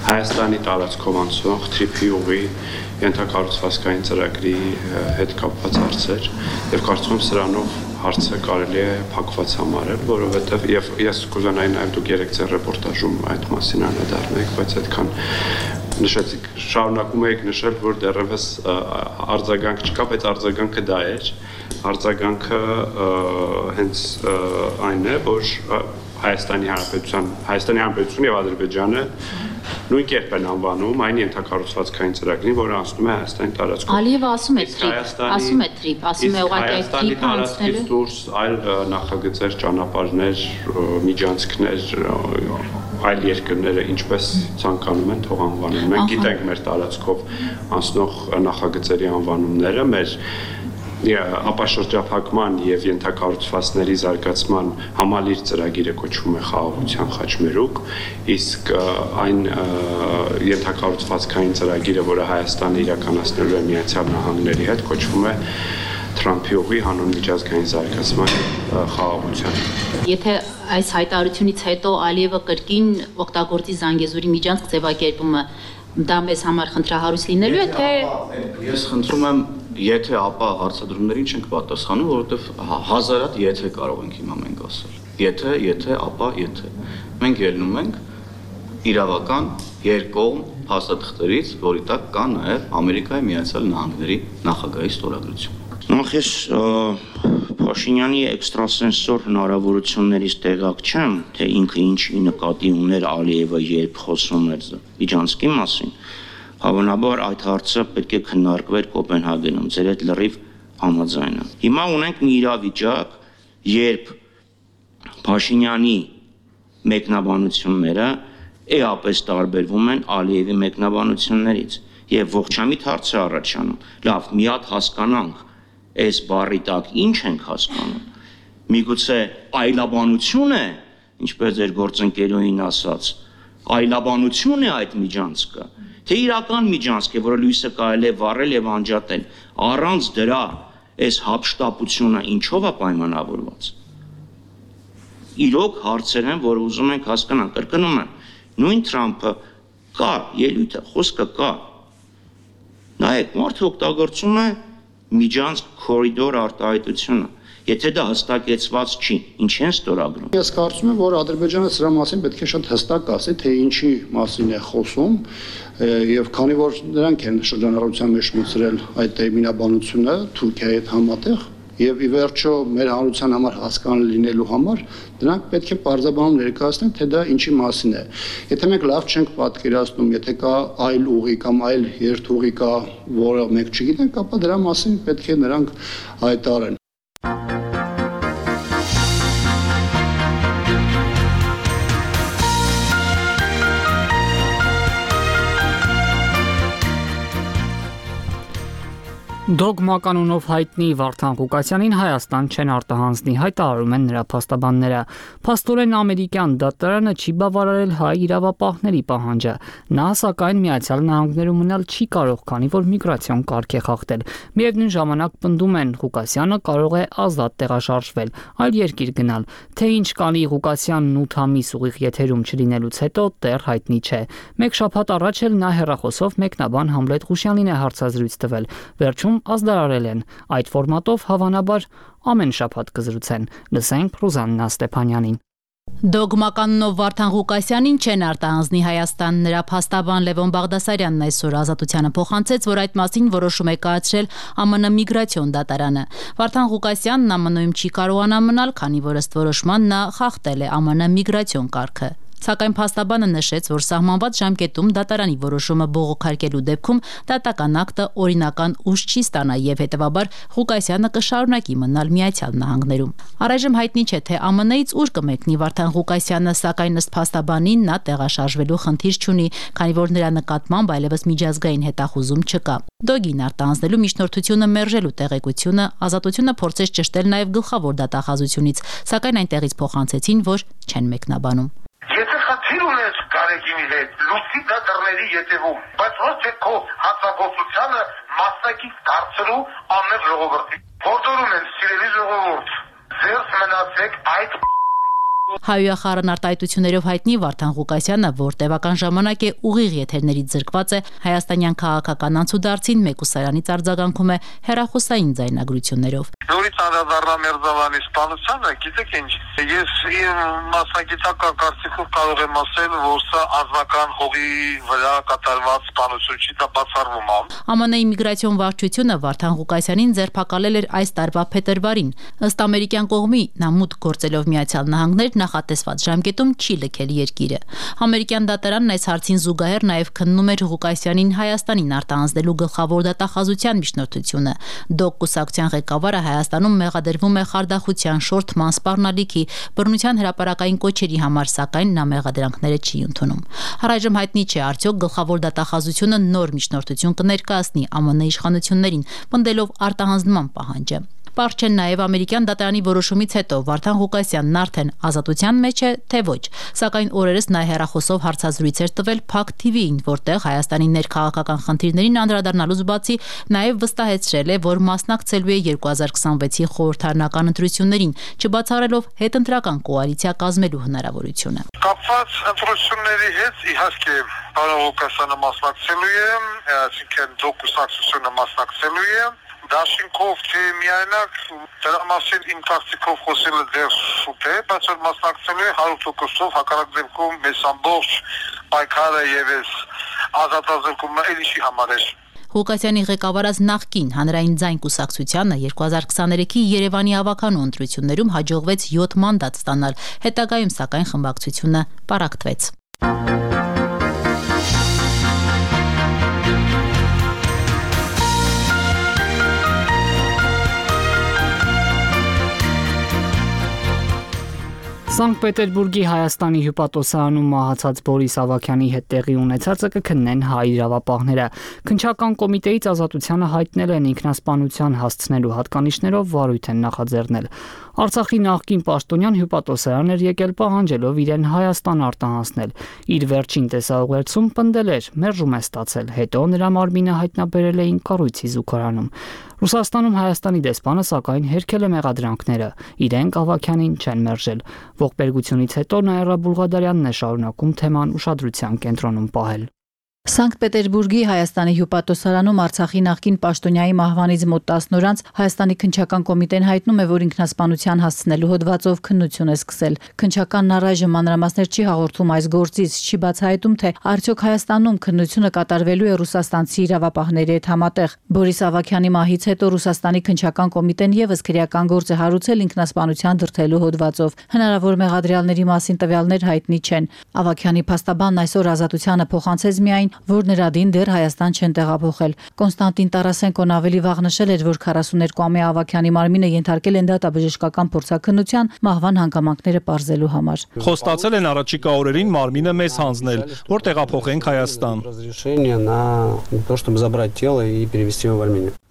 Հայաստանի տարածքով անցող թրիփի ուղի ենթակառուցվածքային ծրագրի հետ կապված հարցեր եւ կարծում եմ սրանով հարցը կարելի է փակված համարել, որովհետեւ եւ ես կուզենայի նաեւ դուք երեք ձեր ռեպորտաժում այդ մասին անդրադառնաք, բայց այդքան նշեցիք, շարունակում եք նշել, որ դեռևս արձագանք չկա, բայց արձագանքը դա էր։ Արձագանքը հենց այն է, որ Հայաստանի Հանրապետության, Հայաստանի Հանրապետությունը եւ Ադրբեջանը նույն կերպ են անվանում այն ենթակառուցվածքային ծրագրին, որը անցնում է Հայաստանի տարածքով։ Ալիևը ասում է թրիփ, ասում է թրիփ, ասում է ուղղակի այդ թրիփը անցնելու դուրս այլ նախագծեր, ճանապարհներ, միջանցքներ, այլ երկրները ինչպես ցանկանում են թող անվանեն։ Մենք գիտենք մեր տարածքով անցնող նախագծերի անվանումները, մեր ապաշրջափակման եւ ենթակառուցվածքների զարգացման համալիր ծրագիրը կոչվում է Խաղաղության խաչմերուկ, իսկ այն ենթակառուցվածքային ծրագիրը, որը Հայաստանը իրականացնելու է Միացյալ Նահանգների հետ, կոչվում է Թրամփի ուղի հանուն միջազգային զարգացման խաղաղության։ Եթե այս հայտարարությունից հետո Ալիևը կրկին օգտագործի Զանգեզուրի միջանցք ձևակերպումը, դա մեզ համար խնդրահարույց լինելու է, թե ես խնդրում եմ Եթե ապա հարցադրումներին չենք պատասխանում, որովհետև հազարատ եթե կարող ենք հիմա մենք ասել։ Եթե, եթե, ապա, եթե։ Մենք ելնում ենք իրավական երկկողմ փաստաթղթերից, որի տակ կա նաև Ամերիկայի Միացյալ Նահանգների նախագահի ստորագրություն։ Նախ ես Փաշինյանի էքստրասենսոր հնարավորություններից տեղակ չեմ, թե ինքը ինչի նկատի ուներ Ալիևը, երբ խոսում էր միջանցքի մասին։ Հավանաբար այդ հարցը պետք է քննարկվեր Կոպենհագենում, ձեր հետ լրիվ համաձայն եմ։ Հիմա ունենք մի իրավիճակ, երբ Փաշինյանի մեկնաբանությունները էապես տարբերվում են Ալիևի մեկնաբանություններից եւ ողջամիտ հարց է առաջանում։ Լավ, մի հատ հասկանանք, այս բառի տակ ինչ ենք հասկանում։ Միգուցե այլաբանություն է, ինչպես ձեր գործընկերուհին ասաց, այլաբանություն է այդ միջանցքը։ Թե իրական միջանցք է, որը լույսը կարելի է վառել եւ անջատել, առանց դրա այս հապշտապությունը ինչով է պայմանավորված։ Իրոք հարցեր են, որ ուզում ենք հասկանալ, կրկնում եմ, նույն Թրամփը կա, ելույթը, խոսքը կա։ Նայեք, մարդը օգտագործում է միջանցք կորիդոր արտահայտությունը։ Եթե դա հստակեցված չի, ինչ են ստորագրում։ Ես կարծում եմ, որ Ադրբեջանը սրա մասին պետք է շատ հստակ ասի, թե ինչի մասին է խոսում, եւ քանի որ նրանք են շրջանառության մեջ մտցրել այդ տերմինաբանությունը Թուրքիայի հետ համատեղ, եւ ի վերջո մեր հանրության համար հասկանալի լինելու համար դրանք պետք է պարզաբանում ներկայացնեն, թե դա ինչի մասին է։ Եթե մենք լավ չենք պատկերացնում, եթե կա այլ ուղի կամ այլ երթուղի կա, որը մենք չգիտենք, ապա դրա մասին պետք է նրանք հայտարարեն։ Դոգմա կանոնով հայտնի Վարդան Ղուկասյանին Հայաստան չեն արտահանձնի, հայտարարում են նրա փաստաբանները։ Փաստորեն ամերիկյան դատարանը չի բավարարել հայ իրավապահների պահանջը։ Նա սակայն Միացյալ Նահանգներում մնալ չի կարող, քանի որ միգրացիոն կարգ է խախտել։ Միևնույն ժամանակ պնդում են, Ղուկասյանը կարող է ազատ տեղաշարժվել, այլ երկիր գնալ։ Թե ինչ կանի Ղուկասյանն ութ ամիս ուղիղ եթերում չլինելուց հետո դեռ հայտնի չէ։ Մեկ շաբաթ առաջ էլ նա հեռախոսով մեկնաբան Համլետ Ղուշյանին է հարցազրույց տվել։ Վերջում ազդարարել են։ Այդ ֆորմատով հավանաբար ամեն շաբաթ կզրուցեն։ Լսենք Ռուզաննա Ստեփանյանին։ Դոգմականով Վարդան Ղուկասյանին չեն արտահանձնի Հայաստան։ Նրա փաստաբան Լևոն Բաղդասարյանն այսօր Ազատությանը փոխանցեց, որ այդ մասին որոշում է կայացրել ԱՄՆ միգրացիոն դատարանը։ Վարդան Ղուկասյանն ԱՄՆ-ում չի կարողանա մնալ, քանի որ ըստ որոշման նա խախտել է ԱՄՆ միգրացիոն կարգը։ Սակայն փաստաբանը նշեց, որ սահմանված ժամկետում դատարանի որոշումը բողոքարկելու դեպքում դատական ակտը օրինական ուժ չի ստանա եւ հետեւաբար Ղուկասյանը կշարունակի մնալ Միացյալ Նահանգներում։ Առայժմ հայտնի չէ, թե Α Մ Ն-ից ուր կմեկնի Վարդան Ղուկասյանը, սակայն ըստ փաստաբանին նա տեղաշարժվելու խնդիր չունի, քանի որ նրա նկատմամբ այլևս միջազգային հետախուզում չկա։ Դոգին արտահանձնելու միջնորդությունը մերժելու տեղեկությունը Ազատությունը փորձեց ճշտել նաև գլխավոր դատախազությունից, սակայն այնտեղից փոխանցեցին, որ չեն մեկնաբանում։ Եթե խնդիր ունես Գարեգինի հետ, լուսի դատարների ետևում, բայց ոչ թե քո հացագործությանը մասնակից դարձելու աններ ժողովրդի։ Որտորում են սիրելի ժողովուրդ, ձերս մնացեք այդ Հայոյախառն արտահայտություններով հայտնի Վարդան Ղուկասյանը, որ տևական ժամանակ է ուղիղ եթերներից զրկված է, հայաստանյան քաղաքական անցուդարձին մեկուսարանից արձագանքում է հեռախոսային ձայնագրություններով։ Նորից անդրադառնամ Մերձավանի սպանությանը, գիտեք ինչ, ես իմ մասնագիտական կարծիքով կարող եմ ասել, որ սա անձնական հողի վրա կատարված սպանություն չի, դա բացառվում է։ Α Մ Ն-ի միգրացիոն վարչությունը Վարդան Ղուկասյանին ձերբակալել էր այս տարվա փետրվարին։ Ըստ ամերիկյան կողմի նա մուտք գործելով Միացյալ Նահանգներ նախատեսված ժամկետում չի լքել երկիրը։ Ամերիկյան դատարանն այս հարցին զուգահեռ նաև քննում էր Ղուկասյանին Հայաստանին արտահանձնելու գլխավոր դատախազության միջնորդությունը։ Դոկ կուսակցության ղեկավարը Հայաստանում մեղադրվում է խարդախության, շորթման, սպառնալիքի, բռնության հրապարակային կոչերի համար, սակայն նա մեղադրանքները չի ընդունում։ Առայժմ հայտնի չէ, արդյոք գլխավոր դատախազությունը նոր միջնորդություն կներկայացնի Α Մ Ն իշխանություններին, պնդելով արտահանձնման պահանջը։ Պարզ չէ նաև ամերիկյան դատարանի որոշումից հետո Վարդան Ղուկասյանն արդեն ազատության մեջ է, թե ոչ, սակայն օրերս նա հեռախոսով հարցազրույց էր տվել Փակ Թի Վի-ին, որտեղ Հայաստանի ներքաղաքական խնդիրներին անդրադառնալուց բացի նաև վստահեցրել է, որ մասնակցելու է երկու հազար քսանվեցի խորհրդարանական ընտրություններին, չբացառելով հետընտրական կոալիցիա կազմելու հնարավորությունը։ Կապված ընտրությունների հետ իհարկե պարոն Ղուկասյանը մասնակցելու է, այսինքն դոկ կուսակցությունը մասնակցելու է։ Դաշինքով թե միայնակ դրա մասին իմ կարծիքով խոսելը դեռ շուտ է, բայց որ մասնակցելու է հարյուր տոկոսով, հակառակ դեպքում մեզ ամբողջ պայքարը եւ այս ազատազրկումը էլի չի համարել։ Ղուկասյանի ղեկավարած նախկին հանրային ձայն կուսակցությանը երկու հազար քսաներեքի Երևանի ավականու ընտրություններում հաջողվեց յոթ մանդատ ստանալ, հետագայում սակայն խմբակցությունը պառակտվեց։ Սանկտ Պետերբուրգի Հայաստանի հյուպատոսարանում մահացած Բորիս Ավագյանի հետ տեղի ունեցածը կքննեն հայ իրավապահները։ Քննչական կոմիտեից Ազատությանը հայտնել են ինքնասպանության հասցնելու հատկանիշներով վարույթ են նախաձեռնել։ Արցախի նախկին պաշտոնյան հյուպատոսարան էր եկել պահանջելով իրեն Հայաստան արտահանձնել։ Իր վերջին տեսաուղերձում պնդել էր՝ մերժում է ստացել, հետո նրա մարմինը հայտնաբերել էին կառույցի զուգարանում։ Ռուսաստանում Հայաստանի դեսպանը սակայն հերքել է մեղադրանքները, իրենք Ավագյանին չեն մերժել։ Ողբերգությունից հետո Նաիրա Բուլղադարյանն է շարունակում թեման ուշադրության կենտրոնում պահել։ Սանկտ Պետերբուրգի Հայաստանի հյուպատոսարանում Արցախի նախկին պաշտոնյայի մահվանից մոտ տասն օր անց Հայաստանի քննչական կոմիտեն հայտնում է, որ ինքնասպանության հասցնելու հոդվածով քննություն է սկսել։ Քննչականն առայժմ մանրամասներ չի հաղորդում այս գործից, չի բացահայտում, թե արդյոք Հայաստանում քննությունը կատարվելու է ռուսաստանցի իրավապահների հետ համատեղ։ Բորիս Ավագյանի մահից հետո Ռուսաստանի քննչական կոմիտեն եւս քրեական գործ է հարուցել ինքնասպանության դրդելու հոդվածով։ Հնարավոր մեղադրյալների մասին տվյալներ հայտնի չեն։ Ավագյանի փաստաբանն այսօր Ազատությանը փոխանցեց միայն, որ նրա դին դեռ Հայաստան չեն տեղափոխել։ Կոնստանտին Տարասենկոն ավելի վաղ նշել էր, որ քառասուներկուամյա Ավագյանի մարմինը ենթարկել են դատաբժշկական փորձաքննության մահվան հանգամանքները պարզելու համար։ Խոստացել են առաջիկա օրերին մարմինը մեզ հանձնել, որ տեղափոխենք Հայաստան։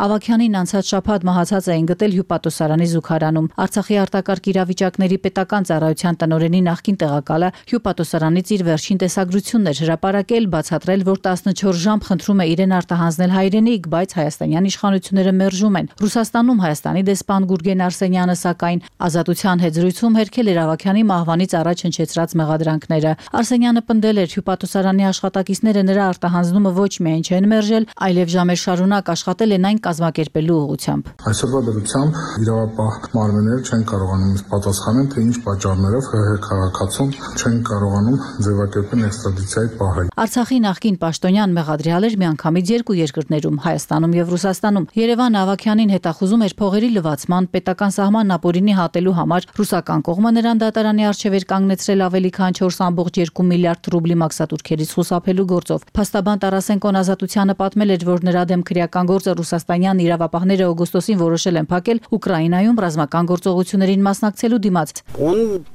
Ավագյանին անցած շաբաթ մահացած էին գտել հյուպատոսարանի զուգարանում։ Արցախի արտակարգ իրավիճակների պետական ծառայության տնօրենի նախկին տեղակալը հյուպատոսարանից իր վերջին տեսագրությունն էր հրապարակել, բացատրել, որ տասնչորս ժամ խնդրում է իրեն արտահանձնել հայրենիք, բայց հայաստանյան իշխանությունները մերժում են։ Ռուսաստանում Հայաստանի դեսպան Գուրգեն Արսենյանը սակայն Ազատության հետ զրույցում հերքել էր Ավագյանի մահվանից առաջ հնչեցրած մեղադրանքները։ Արսենյանը պնդել էր, հյուպատոսարանի աշխատակիցները նրա արտահանձնումը ոչ միայն չեն մերժել, այլև ժամեր շարունակ աշխատել են այն կազմակերպելու ուղղությամբ։ Այսօրվա դրությամբ իրավապահ մարմինները չեն կարողանում պատասխանել, թե ինչ պատճառներով ՀՀ քաղաքացուն չեն կարողանում ձևակերպել էքստրադիցիայի պահել։ Արցախի նախկին պաշտոնյան մեղադրյալ էր միանգամից երկու երկրներում՝ Հայաստանում եւ Ռուսաստանում։ Երևանը Ավագյանին հետախուզում էր փողերի լվացման, պետական սահմանն ապօրինի հատելու համար։ Ռուսական կողմը նրան դատարանի առջև էր կանգնեցրել ավելի քան չորս կόμma երկու միլիարդ ռուբլի մաքսատուրքերից խուսափելու գործով։ Փաստաբան Տարասենկոն Ազատությանը պատմել էր, որ նրա դեմ քրեական գործը ռուսաստանյան իրավապահները օգոստոսին որոշել են փակել Ուկրաինայում ռազմական գործողություններին մասնակցելու դիմաց։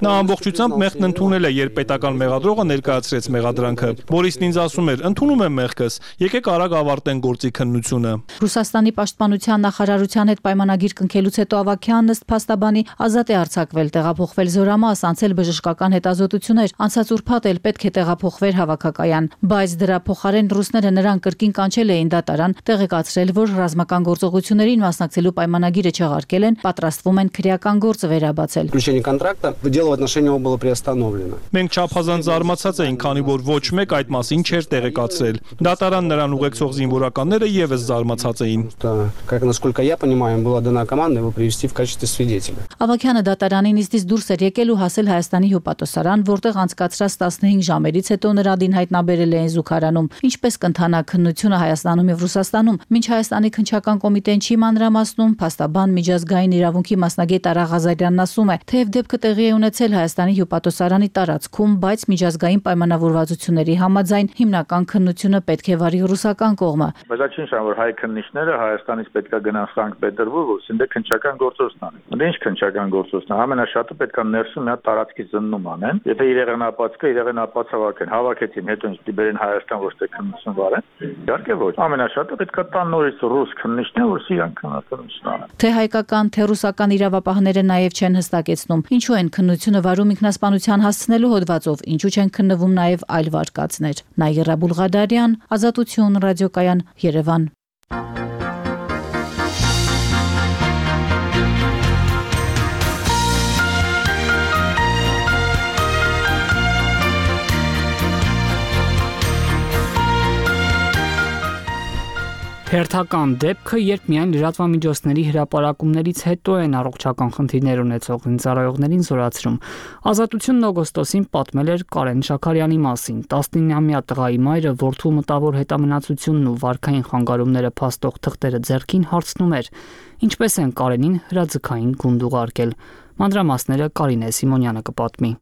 Նա ամբողջությամբ մեղքն ընդունել է, երբ պետական մեղադրողը ներկայացրեց մեղադրանքը։ Բորիսն ինձ ասում էր. «Ընդունում եմ մեղքս, եկեք արագ ավարտենք գործի քննությունը»։ Ռուսաստանի պաշտպանության նախարարության հետ պայմանագիր կնքելուց հետո Ավագյանն ըստ փաստաբանի ազատ է արձակվել, տեղափոխվել զորամաս, անցել բժշկական հետազոտություններ, անցած ուրբաթ էլ պետք է տեղափոխվեր հավաքակայան, բայց դրա փոխարեն ռուսները նրան կրկին կանչել էին դատարան, տեղեկացրել, որ ռազմական գործողություններին մասնակցելու պայմանագիրը չեղարկել են, պատրաստվում են քրեական գործ վերաբացել։ Մենք չափազանց զարմացած էինք, քանի որ ոչ մեկ այդ մասին չէր տեղեկացրել։ Դատարան նրան ուղեկցող զինվորականները եւս զարմացած էին։ Ավագյանը դատարանին իստից դուրս էր եկել ու հասել Հայաստանի հյուպատոսարան, որտեղ անցկացրած տասնհինգ ժամերից հետո նրա դին հայտնաբերել էին զուգարանում։ Ինչպես կընթանա քննությունը Հայաստանում եւ Ռուսաստանում, մինչ Հայաստանի քննչական կոմիտեն չի մանրամասնում, փաստաբան միջազգային իրավունքի մասնագետ Արա Ղազարյանն ասում է, թեև դեպքը տեղի է ունեցել Հայաստանի հյուպատոսարանի տարածքում, բայց միջազգային պայմանավորվածությունների համաձայն հիմնական քննությունը պետք է վարի ռուսական կողմը։ Բայց ինչ որ հայ քննիչները Հայաստանից պետք է գնան Սանկտ Պետերբուրգ, ասեն դե քննչական գործողություն անեն։ Դե ինչ քննչական գործողություն, ամենաշատը պետք է ներսում մի հատ տարածքի զննում անեն։ Եթե իրեղենապած կա, իրեղենապած հավաքեն, հավաքեցին, հետո ինչ դիբերեն Հայաստան ոչ թե քննություն վարեն։ Իհարկե ոչ։ Ամենաշատը պետք է տան նորից ռուս քննիչներ, որ իրան քննություն անեն։ Թե հայկական, թե ռուսական իրավապահները նաև չեն հստակեցնում, ինչու են քննությունը վարում ինքնասպանության հասցնելու հոդվածով, ինչու չեն քննվում նաև այլ վարկածներ։ Նաիրա Բուլղադարյան, Ազատություն, ռադիոկայան, Երևան։ Հերթական դեպքը, երբ միայն լրատվամիջոցների հրապարակումներից հետո են առողջական խնդիրներ ունեցող զինծառայողներին զորացրում։ Ազատությունն օգոստոսին պատմել էր Կարեն Շաքարյանի մասին։ տասնինամյա տղայի մայրը որդու մտավոր հետամնացությունն ու վարքային խանգարումները փաստող թղթերը ձեռքին հարցնում էր, ինչպես են Կարենին հրաձգային գունդ ուղարկել։ Մանրամասները Կարինե Սիմոնյանը կպատմի։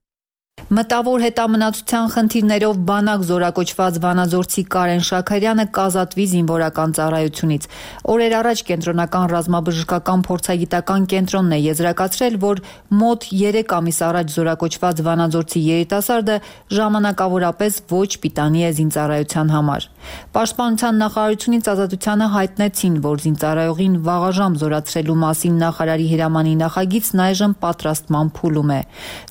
Մտավոր հետամնացության խնդիրներով բանակ զորակոչված վանաձորցի Կարեն Շաքարյանը կազատվի զինվորական ծառայությունից։ Օրեր առաջ կենտրոնական ռազմաբժշկական փորձագիտական կենտրոնն է եզրակացրել, որ մոտ երեք ամիս առաջ զորակոչված վանաձորցի երիտասարդը ժամանակավորապես ոչ պիտանի է զինծառայության համար։ Պաշտպանության նախարարությունից Ազատությանը հայտնեցին, որ զինծառայողին վաղաժամ զորացրելու մասին նախարարի հրամանի նախագիծն այժմ պատրաստման փուլում է։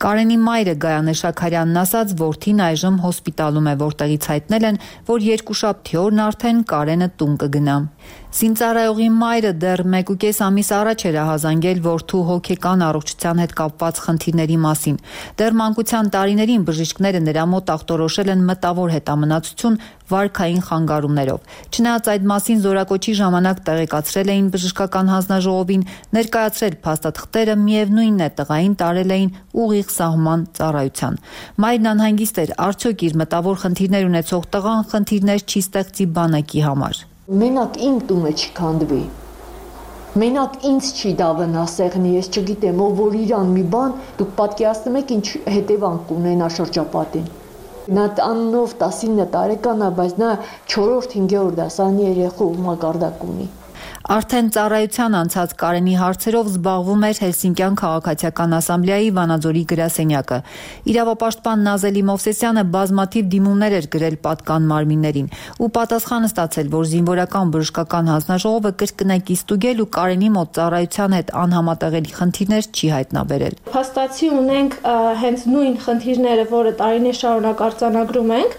Կարենի մայրը Գայանե Շաքարյանն ասաց, որդին այժմ հոսպիտալում է, որտեղից հայտնել են, որ երկուշաբթի օրն արդեն Կարենը տուն կգնա։ Զինծառայողի մայրը դեռ մեկուկես ամիս առաջ էր ահազանգել որդու հոգեկան առողջության հետ կապված խնդիրների մասին։ Դեռ մանկության տարիներին բժիշկները նրա մոտ ախտորոշել են մտավոր հետամնացություն վարքային խանգարումներով։ Չնայած այդ մասին զորակոչի ժամանակ տեղեկացրել էին բժշկական հանձնաժողովին, ներկայացրել փաստաթղթերը, միևնույնն է տղային տարել էին ուղիղ սահման ծառայության։ Մայրն անհանգիստ էր, արդյոք իր մտավոր խնդիրներ ունեցող տղան խնդիրներ չի ստեղծի բանակի համար։ Մենակ իմ տունը չքանդվի, մենակ ինձ չի դավնա սեղնի, ես չգիտեմ, ով որ իրան մի բան, դուք պատկերացնում եք ինչ հետևանք կունենա շրջապատին։ Նա տաննով տասինը տարեկան է, բայց նա չորրորդ հինգերորդ դասարանի երեխու մակարդակ ունի։ Արդեն ծառայության անցած Կարենի հարցերով զբաղվում էր Հելսինկյան քաղաքացիական ասամբլեայի Վանաձորի գրասենյակը։ Իրավապաշտպան Նազելի Մովսեսյանը բազմաթիվ դիմումներ էր գրել պատկան մարմիններին ու պատասխան ստացել, որ զինվորական բժշկական հանձնաժողովը կրկնակի ստուգել ու Կարենի մոտ ծառայության հետ անհամատեղելի խնդիրներ չի հայտնաբերել։ Փաստացի ունենք հենց նույն խնդիրները, որը տարիներ շարունակ արձանագրում ենք,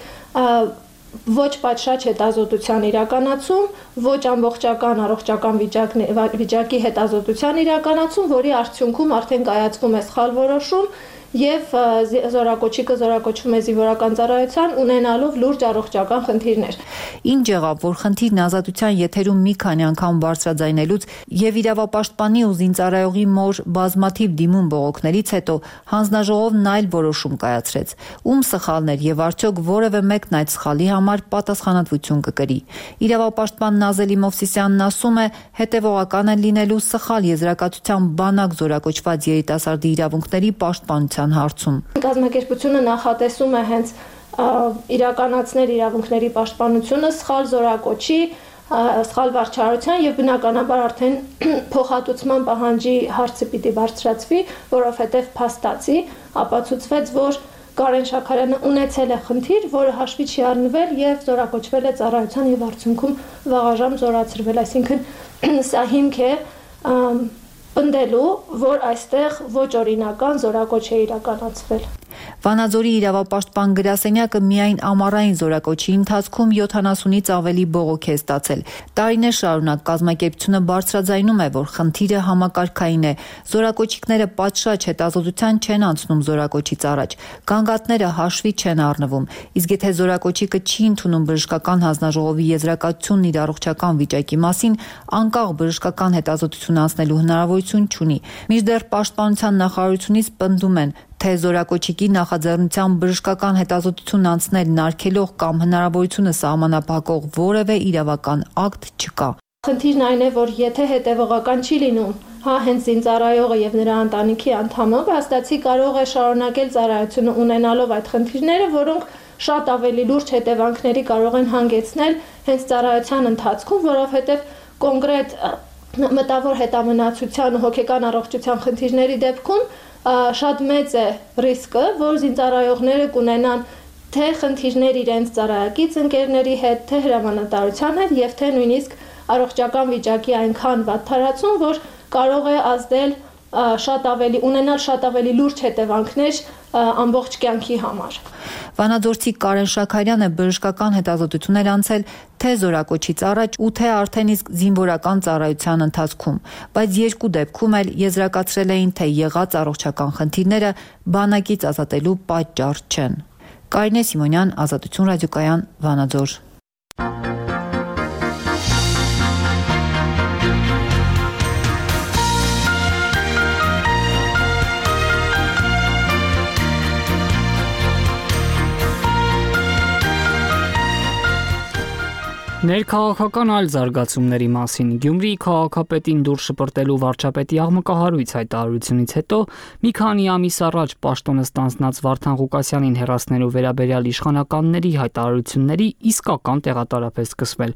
ոչ պատշաճ հետազոտության իրականացում, ոչ ամբողջական առողջական վիճակի հետազոտության իրականացում, որի արդյունքում արդեն կայացվում է սխալ որոշում եւ զորակոչի կզորակոչվում է զինվորական ծառայության ունենալով լուրջ առողջական խնդիրներ։ Ինչ եղավ, որ խնդիրն ազատության եթերում մի քանի անգամ բարձրաձայնելուց եւ իրավապաշտպանի ու զինծառայողի մոր բազմաթիվ դիմում բողոքներից հետո հանձնաժողովն այլ որոշում կայացրեց։ Ում սխալն էր եւ արդյոք որևէ մեկն այդ սխալի համար պատասխանատվություն կկրի։ Իրավապաշտպան Նազելի Մովսիսյանն ասում է, հետեւողական են լինելու սխալ եզրակացության բանակ զորակոչված երիտասարդի իրավունքների պաշտպանության հարցում։ Կազմակերպությունը նախատեսում է հենց իրականացնել իրավունքների պաշտպանությունը սխալ զորակոչի, սխալ վարչարության եւ բնականաբար արդեն փոխհատուցման պահանջի հարցը պիտի բարձրացվի, որովհետեւ փաստացի ապացուցվեց, որ Կարեն Շաքարյանը ունեցել է խնդիր, որը հաշվի չի առնվել եւ զորակոչվել է ծառայության եւ արդյունքում վաղաժամ զորացրվել, այսինքն սա հիմք է պնդելու, որ այստեղ ոչ օրինական զորակոչ է իրականացվել։ Վանաձորի իրավապաշտպան գրասենյակը միայն ամառային զորակոչի ընթացքում յոթանասունից ավելի բողոք է ստացել։ Տարիներ շարունակ կազմակերպությունը բարձրաձայնում է, որ խնդիրը համակարգային է։ Զորակոչիկները պատշաճ հետազոտության չեն անցնում զորակոչից առաջ։ Գանգատները հաշվի չեն առնվում։ Իսկ եթե զորակոչիկը չի ընդունում բժշկական հանձնաժողովի եզրակացությունն իր առողջական վիճակի մասին, անկախ բժշկական հետազոտություն անցնելու հնարավորություն չունի։ Մինչդեռ պաշտպանության նախարարությունից պնդում են, թե զորակոչիկի նախաձեռնությամբ բժշկական հետազոտություն անցնել նարգելող կամ հնարավորությունը սահմանափակող որևէ իրավական ակտ չկա։ Խնդիրն այն է, որ եթե հետևողական չի լինում, հա հենց զինծառայողը եւ նրա ընտանիքի անդամը, հաստատի կարող է շարունակել ծառայությունը ունենալով այդ խնդիրները, որոնք շատ ավելի լուրջ հետևանքների կարող են հանգեցնել հենց ծառայության ընթացքում, որովհետեւ կոնկրետ մտավոր հետամնացության ու հոգեկան առողջության խնդիրների դեպքում շատ մեծ է ռիսկը, որ զինծառայողները կունենան թե խնդիրներ իրենց ծառայակից ընկերների հետ, թե հրամանատարության հետ եւ թե նույնիսկ առողջական վիճակի այնքան վատթարացում, որ կարող է ազդել շատ ավելի ունենալ շատ ավելի լուրջ հետևանքներ ամբողջ կյանքի համար։ Վանաձորցի Կարեն Շաքարյանը բժշկական հետազոտություն էր անցել թե զորակոչից առաջ ու թե արդեն իսկ զինվորական ծառայության ընթացքում, բայց երկու դեպքում էլ եզրակացրել էին, թե եղած առողջական խնդիրները բանակից ազատելու պատճառ չեն։ Կարինե Սիմոնյան, Ազատություն ռադիոկայան, Վանաձոր։ Ներքաղաքական այլ զարգացումների մասին Գյումրիի քաղաքապետին դուր շպրտելու վարչապետի աղմկահարույց հայտարարությունից հետո մի քանի ամիս առաջ պաշտոնը ստանձնած Վարդան Ղուկասյանին հեռացնելու վերաբերյալ իշխանականների հայտարարությունների իսկական տեղատարափ է սկսվել։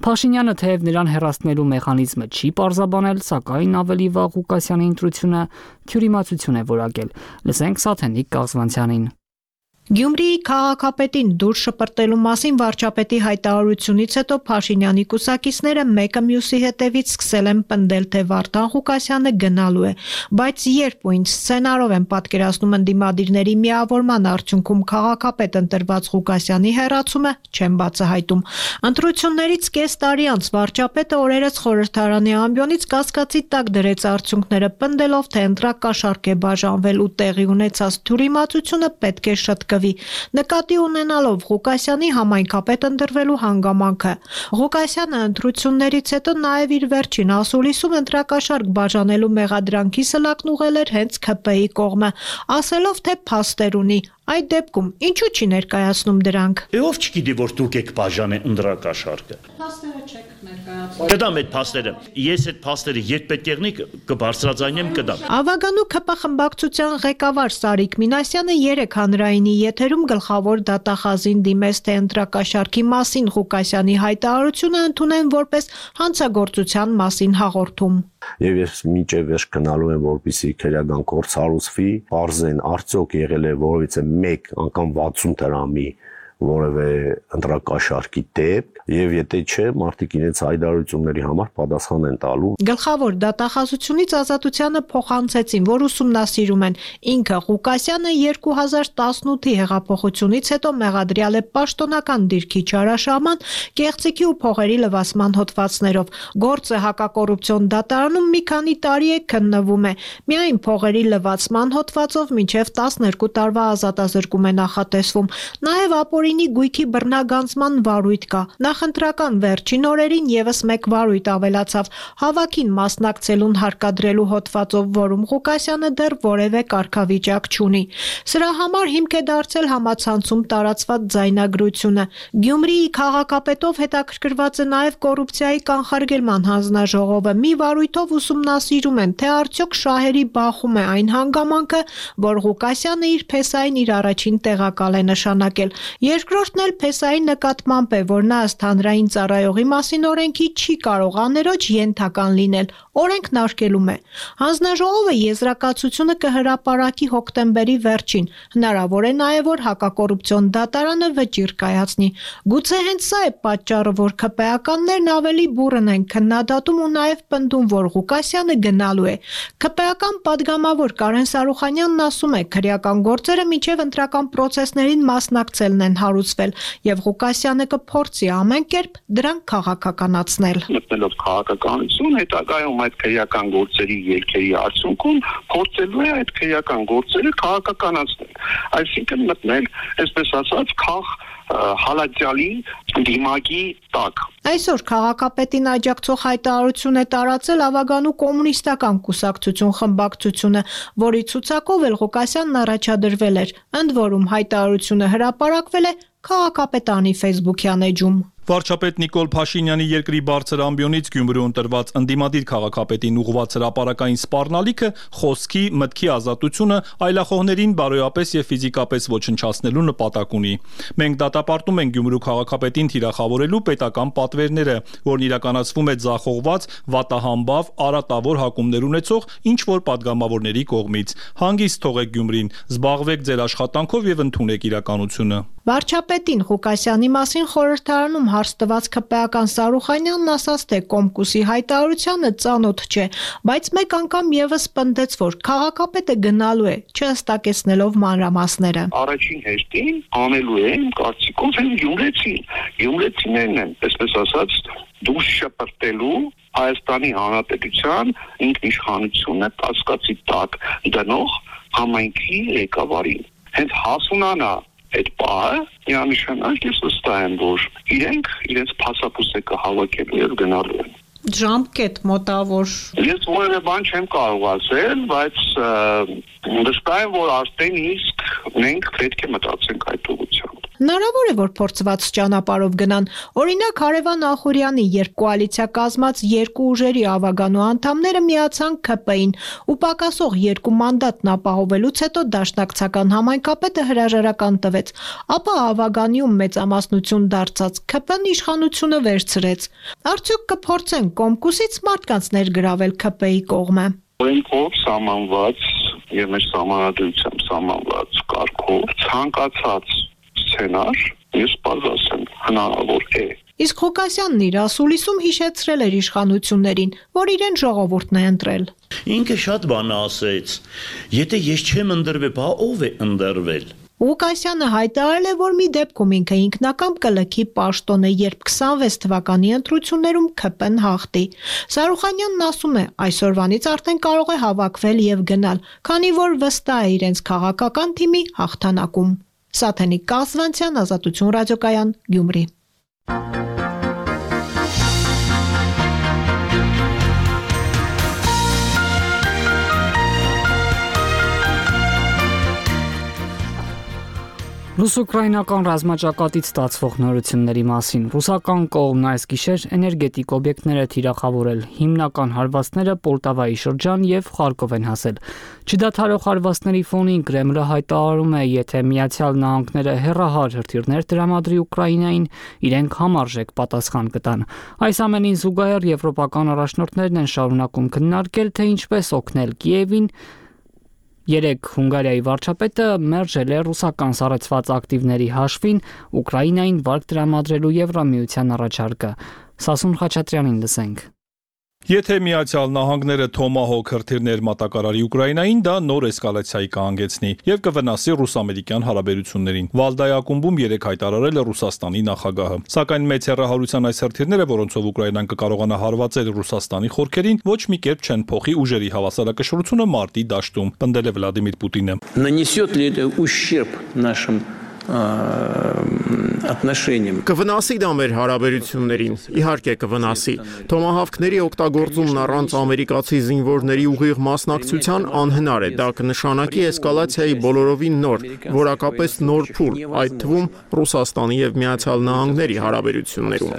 Փաշինյանը թեև նրան հեռացնելու մեխանիզմը չի պարզաբանել, սակայն ավելի վաղ Ղուկասյանի ընտրությունը թյուրիմացություն է որակել։ Լսենք Սաթենիկ Կազվանցյանին։ Գյումրիի քաղաքապետին դուր շպրտելու մասին վարչապետի հայտարարությունից հետո Փաշինյանի կուսակիցները մեկը մյուսի հետևից սկսել են պնդել, թե Վարդան Ղուկասյանը գնալու է, բայց երբ ու ինչ սցենարով են պատկերացնում ընդդիմադիրների միավորման արդյունքում քաղաքապետ ընտրված Ղուկասյանի հեռացումը, չեն բացահայտում։ Ընտրություններից կես տարի անց վարչապետը օրերս խորհրդարանի ամբիոնից կասկածի տակ դրեց արդյունքները, պնդելով, թե ընտրակաշառք է բաժանվել ու տեղի ունեցած թյուրիմացությունը պետք է շտկվի, նկատի ունենալով Ղուկասյանի համայնքապետ ընտրվելու հանգամանքը։ Ղուկասյանը ընտրություններից հետո նաև իր վերջին ասուլիսում ընտրակաշառք բաժանելու մեղադրանքի սլակն ուղղել էր հենց K P I կողմը, ասելով, թե փաստեր ունի։ Այդ դեպքում ինչու չի ներկայացնում դրանք։ Ով չգիտի, որ դուք եք բաժանել ընտրակաշառքը։ Փաստերը չեք ներկայացնում։ Կդամ այդ փաստերը։ Ես այդ փաստերը երբ պետք եղնի կբարձրաձայնեմ, կդամ։ Ավագանու K P խմբակցության ղեկավար Սարիկ Մինասյանը երեք հանրայինի եթերում գլխավոր դատախազին դիմեց, թե ընտրակաշառքի մասին Ղուկասյանի հայտարարությունը ընդունեն որպես հանցագործության մասին հաղորդում։ Եվ ես մինչև վերջ գնալու եմ, որպեսզի քրեական գործ հարուցվի, բարձեն արդյոք եղել է որևիցե մեկ անգամ վաթսուն դրամի որևէ ընտրակաշառքի դեպք եւ եթե չէ, մարդիկ իրենց հայտարարությունների համար պատասխան են տալու։ Գլխավոր դատախազությունից Ազատությանը փոխանցեցին, որ ուսումնասիրում են ինքը Ղուկասյանը երկու հազար տասնութի հեղափոխությունից հետո մեղադրյալ է պաշտոնական դիրքի չարաշահման, կեղծիքի ու փողերի լվացման հոդվածներով։ Գործը հակակոռուպցիոն դատարանում մի քանի տարի է քննվում է։ Միայն փողերի լվացման հոդվածով մինչև տասներկու տարվա ազատազրկում է նախատեսվում։ Նաև ապօրինի գույքի բռնագանձման վարույթ կա։ Նախընտրական վերջին օրերին եւս մեկ վարույթ ավելացավ հավաքին մասնակցելուն հարկադրելու հոդվածով, որում Ղուկասյանը դեռ որևէ կարգավիճակ չունի։ Սրա համար հիմք է դարձել համացանցում տարածված ձայնագրությունը։ Գյումրիի քաղաքապետով հետաքրքրված է նաև կոռուպցիայի կանխարգելման հանձնաժողովը։ Մի վարույթով ուսումնասիրում են, թե արդյոք շահերի բախում է այն հանգամանքը, որ Ղուկասյանը իր փեսային իր առաջին տեղակալ է նշանակել։ Երկրորդն էլ փեսայի նկատմամբ է, որ նա ըստ հանրային ծառայողի մասին օրենքի չի կարող աներոջ ենթական լինել, օրենքն արգելում է։ Հանձնաժողովը եզրակացությունը կհրապարակի հոկտեմբերի վերջին։ Հնարավոր է նաև, որ հակակոռուպցիոն դատարանը վճիռ կայացնի։ Գուցե հենց սա է պատճառը, որ ՔՊԱ-ականներն ավելի բուռն են քննադատում ու նաև պնդում, որ Ղուկասյանը գնալու է։ ՔՊԱ-ական падգամավոր Կարեն Սարուխանյանն ասում է, քրեական գործերը մինչև ընտրական պրոցեսներին մասնակցելն են հարուցվել, եւ Ղուկասյանը կփորձի ամեն կերպ դրանք քաղաքականացնել։ Մտնելով քաղաքականություն, հետագայում այդ քրեական գործերի ելքերի արդյունքում փորձելու է այդ քրեական գործերը քաղաքականացնել։ Այսինքն մտնել, այսպես ասած, քաղ հալածյալի դիմակի տակ։ Այսօր քաղաքապետին աջակցող հայտարարություն է տարածել Ավագանու կոմունիստական կուսակցություն խմբակցությունը, որի ցուցակով էլ Ղուկասյանն առաջադրվել էր։ Ընդ որում հայտարարությունը հրապարակվել է քաղաքապետանի Facebook-յան էջում։ Վարչապետ Նիկոլ Փաշինյանի երկրի բարձր ամբիոնից Գյումրիում տրված ընդդիմադիր քաղաքապետին ուղղված հրապարակային սպառնալիքը խոսքի, մտքի ազատությունը այլախոհներին բարոյապես եւ ֆիզիկապես ոչնչացնելու նպատակ ունի։ Մենք դատապարտում ենք Գյումրու քաղաքապետին թիրախավորելու պետական պատվերները, որն իրականացվում է ձախողված, վատահամբավ, արատավոր հակումներ ունեցող ինչ որ падգամավորների կողմից։ Հանգիստ թողեք Գյումրին, զբաղվեք ձեր աշխատանքով եւ ընդունեք իրականությունը։ Վարչապետին Ղուկասյանի մասին խորհրդարանում հարց տված ՔՊԱ-ական Սարուխանյանն ասաց, թե Կոմկուսի հայտարարությանը ծանոթ չէ, բայց մեկ անգամ եւս պնդեց, որ քաղաքապետը գնալու է, չհստակեցնելով մանրամասները։ Առաջին հերթին անելու է իմ կարծիքով հենց գյումրեցին։ Գյումրեցիներն են, այսպես ասած, դուրս շպրտելու Հայաստանի Հանրապետության ինքնիշխանությունը կասկածի տակ դնող համայնքի ղեկավարին։ Հենց հասունանա այդ պահը, միանշանակ ես վստահ եմ, որ իրենք իրենց փասապուսեկը հավաքելու եւ գնալու են։ Ժամկետ մոտավոր։ Ես որևէ բան չեմ կարող ասել, բայց վստահ եմ, որ արդեն իսկ մենք պետք է մտածենք այդ ուղղությամբ։ Հնարավոր է, որ փորձված ճանապարհով գնան։ Օրինակ Հարևան Ախուրյանի, երբ կոալիցիա կազմած երկու ուժերի Ավագանու անդամները միացան ՔՊ-ին ու պակասող երկու մանդատն ապահովելուց հետո դաշնակցական համայնքապետը հրաժարական տվեց, ապա Ավագանիում մեծամասնություն դարձած ՔՊ-ն իշխանությունը վերցրեց։ Արդյոք կփորձեն Կոմկուսից մարդկանց ներգրավել ՔՊ-ի կողմը։ Օրենքով սահմանված եւ մեր սահմանադրությամբ սահմանված կարգով ցանկացած սցենար, ես բարձրաց եմ, հնարավոր է։ Իսկ Ղուկասյանն իր ասուլիսում հիշեցրել էր իշխանություններին, որ իրեն ժողովուրդն է ընտրել։ Ինքը շատ բան ասեց։ Եթե ես չեմ ընտրվել, բա ով է ընտրվել։ Ղուկասյանը հայտարարել է, որ մի դեպքում ինքը ինքնակամ կլքի պաշտոն է, երբ քսանվեց թվականի ընտրություններում ՔՊ-ն հաղթի։ Սարուխանյանն ասում է, այսօրվանից արդեն կարող է հավաքվել եւ գնալ, քանի որ վստահ է իրենց քաղաքական թիմի հաղթանակում։ Սաթենիկ Կազվանցյան, Ազատություն ռադիոկայան, Գյումրի։ Ռուս-ուկրաինական ռազմաճակատից ստացվող նորությունների մասին ռուսական կողմն այս գիշեր էներգետիկ օբյեկտները թիրախավորել, հիմնական հարվածները Պոլտավայի շրջան եւ Խարկով են հասել։ Չդադարող հարվածների ֆոնին Կրեմլը հայտարարում է, եթե Միացյալ Նահանգները հեռահար հրթիռներ տրամադրի Ուկրաինային, իրենք համարժեք պատասխան կտան։ Այս ամենին զուգահեռ եվրոպական առաջնորդներն են շարունակում քննարկել, թե ինչպես օգնել Կիևին Երեք Հունգարիայի վարչապետը մերժել է ռուսական սառեցված ակտիվների հաշվին Ուկրաինային վարկ տրամադրելու Եվրամիության առաջարկը։ Սասուն Խաչատրյանին լսենք։ Եթե Միացյալ Նահանգները Թոմահոք հրթիռներ մատակարարի Ուկրաինային, դա նոր էսկալացիայի կհանգեցնի եւ կվնասի ռուս-ամերիկյան հարաբերություններին։ Վալդայի ակումբում երեք հայտարարել է Ռուսաստանի նախագահը։ Սակայն մեծ հեռահարության այս հրթիռները, որոնցով Ուկրաինան կկարողանա հարվածել Ռուսաստանի խորքերին, ոչ մի կերպ չեն փոխի ուժերի հավասարակշռությունը մարտի դաշտում, պնդել է Վլադիմիր Պուտինը։ Нанесет ли это ущерб нашим отношениям. Կվնասի դա մեր հարաբերություններին, իհարկե կվնասի։ Թոմահավքների օգտագործումն առանց ամերիկացի զինվորների ուղիղ մասնակցության անհնար է, դա կնշանակի էսկալացիայի բոլորովին նոր, որակապես նոր փուլ, այդ թվում Ռուսաստանի եւ Միացյալ Նահանգների հարաբերություններում։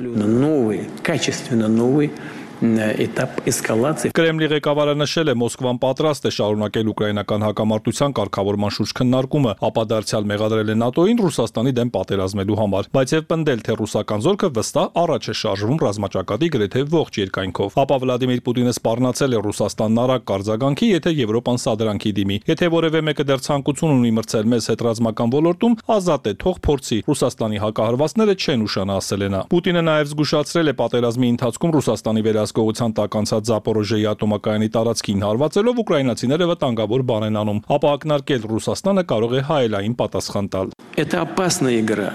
Новый, качественно новый этап эскалации. Կրեմլի ղեկավարը նշել է Մոսկվան պատրաստ է շարունակել ուկրաինական հակամարտության կարգավորման շուրջ քննարկումը, ապա դարձյալ մեղադրել է ՆԱՏՕ-ին Ռուսաստանի դեմ պատերազմելու համար, բայց եւ պնդել, թե ռուսական զորքը վստահ առաջ է շարժվում ռազմաճակատի գրեթե ողջ երկայնքով։ Ապա Վլադիմիր Պուտինը սպառնացել է Ռուսաստանն արագ կարձագանքի, եթե Եվրոպան սադրանքի դիմի։ Եթե որևէ մեկը դեռ ցանկություն ունի մրցել մեզ հետ ռազմական ոլորտում, ազատ է, թող փորձի։ Ռուսաստանի հակահարվածները չեն ուշանա, ասել է նա։ Պուտինը նաեւ զգուշացրել է պատերազմի ընթացքում Ռուսաստանի վերահսկողության տակ անցած Զապորոժիայի ատոմակայանի տարածքին հարվածելով ուկրաինացիները վտանգավոր բան են անում, ապա ակնարկել Ռուսաստանը կարող է հայելային պատասխան տալ։ Это опасная игра.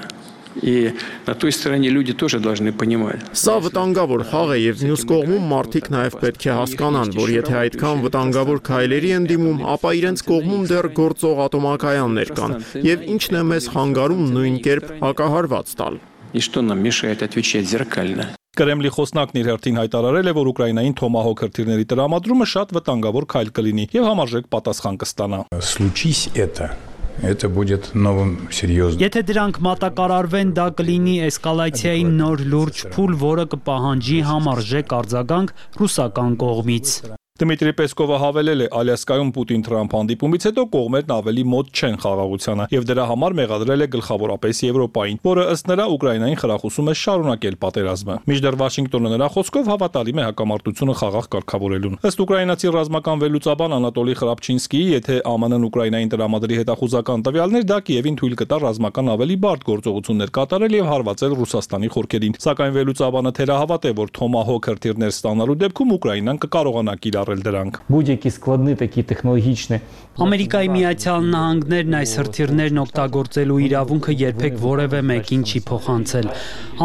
И на той стороне люди тоже должны понимать. Սա վտանգավոր խաղ է եւ մյուս կողմում մարդիկ նաեւ պետք է հասկանան, որ եթե այդքան վտանգավոր քայլերի են դիմում, ապա իրենց կողմում դեռ գործող ատոմակայաններ կան եւ ինչն է մեզ խանգարում նույն կերպ հակահարված տալ։ И что нам мешает отвечать зеркально? Կրեմլի խոսնակն իր հերթին հայտարարել է, որ Ուկրաինային Թոմահոք հրթիռների տրամադրումը շատ վտանգավոր քայլ կլինի եւ համարժեք պատասխան կստանա։ Случись это Это будет новым серьезным. Եթե դրանք մատակարարվեն, դա կլինի էսկալացիայի նոր լուրջ փուլ, որը կպահանջի համարժեք արձագանք ռուսական կողմից։ Դմիտրի Պեսկովը հավելել է, Ալյասկայում Պուտին-Թրամփ հանդիպումից հետո կողմերն ավելի մոտ չեն խաղաղությանը եւ դրա համար մեղադրել է գլխավորապես Եվրոպային, որը ըստ նրա Ուկրաինային խրախուսում է շարունակել պատերազմը։ Մինչդեռ Վաշինգտոնը նրա խոսքով հավատալի է հակամարտությունը խաղաղ կարգավորելուն։ Ըստ ուկրաինացի ռազմական վերլուծաբան Անատոլի Խրապչինսկիի, եթե ԱՄՆ-ն Ուկրաինային տրամադրի հետախուզական տվյալներ, դա Կիևին թույլ կտա ռազմական ավելի բարդ գործողություններ կատարել եւ հարվածել Ռուսաստանի խորքերին։ Սակայն վերլուծաբանը թերահավատ է, որ Թոմահոք հրթիռներ ստանալու դեպքում Ուկրաինան կկարողանա կիրառել դրանք։ Будь-які складні такі технологічні Ամերիկայի Միացյալ Նահանգներն այս հրթիռներն օգտագործելու իրավունքը երբեք որևէ մեկին չի փոխանցել։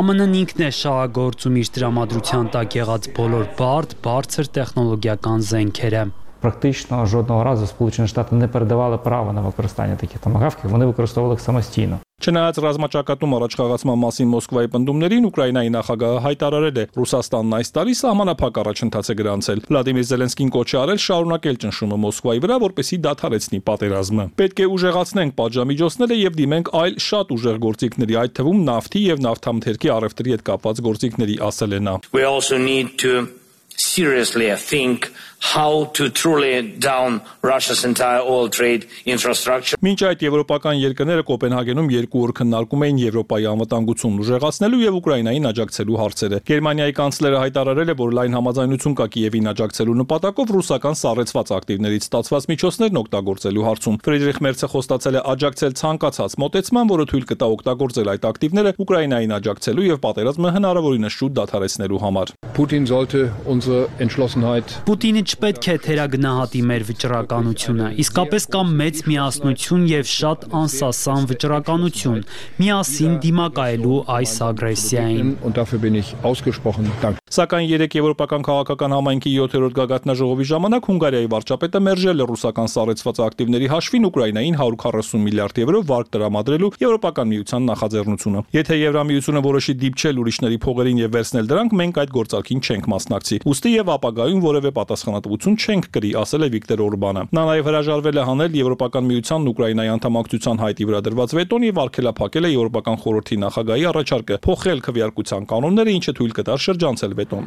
ԱՄՆ-ն ինքն է շահագործում իր տրամադրության տակ եղած բոլոր բարդ, բարձր տեխնոլոգիական զենքերը։ Практично жодного разу Сполучені Штати не передавали право на використання таких томагавків, вони використовували їх самостійно. Չնայած ռազմաճակատում առաջխաղացման մասին Մոսկվայի պնդումներին, Ուկրաինայի նախագահը հայտարարել է, Ռուսաստանն այս տարի սահմանափակ առաջընթաց է գրանցել։ Վլադիմիր Զելենսկին կոչ է արել շարունակել ճնշումը Մոսկվայի վրա, որպեսզի դադարեցնի պատերազմը։ Պետք է ուժեղացնենք պատժամիջոցները եւ դիմենք այլ շատ ուժեղ գործիքների, այդ թվում նավթի եւ նավթամթերքի առևտրի հետ կապված գործիքների, ասել է նա։ We also need to seriously think how to truly down Russia's entire oil trade infrastructure. Մինչ այդ եվրոպական երկրները Կոպենհագենում երկու օր քննարկում էին Եվրոպայի անվտանգությունն ուժեղացնելու եւ Ուկրաինային աջակցելու հարցերը։ Գերմանիայի կանցլերը հայտարարել է, որ լայն համաձայնություն կա Կիևին աջակցելու նպատակով ռուսական սառեցված ակտիվներից ստացված միջոցներն օգտագործելու հարցում։ Ֆրիդրիխ Մերցը խոստացել է աջակցել ցանկացած մոտեցման, որը թույլ կտա օգտագործել այդ ակտիվները Ուկրաինային աջակցելու եւ պատերազմը հնարավորինս շուտ դադարեցնելու համար։ Putin sollte unsere Entschlossenheit Պուտինը չպետք է թերագնահատի մեր վճռականությունը, իսկապես կա մեծ միասնություն եւ շատ անսասան վճռականություն, միասին դիմակայելու այս ագրեսիային։ Und dafür bin ich ausgesprochen dankbar. Սակայն երեք եվրոպական քաղաքական համայնքի յոթերորդ գագաթնաժողովի ժամանակ Հունգարիայի վարչապետը մերժել է ռուսական սառեցված ակտիվների հաշվին Ուկրաինային հարյուր քառասուն միլիարդ եվրո վարկ տրամադրելու Եվրոպական միության նախաձեռնությունը։ Եթե Եվրամիությունը որոշի դիպչել ուրիշների փողերին եւ վերցնել դրանք, մենք այդ գործարքին չենք մասնակցի։ Ուստի եւ ապագայում որևէ պատասխանատվություն չենք կրի, ասել է Վիկտոր Օրբանը։ Նա նաեւ հրաժարվել է հանել Եվրոպական միությանն Ուկրաինայի անդամակցության հայտի վրա դրված վետոն եւ արգելափակել է Եվրոպական խորհրդի նախագահի առաջարկը փոխել քվեարկության կանոնները, ինչը թույլ կտար շրջանցել վետոն։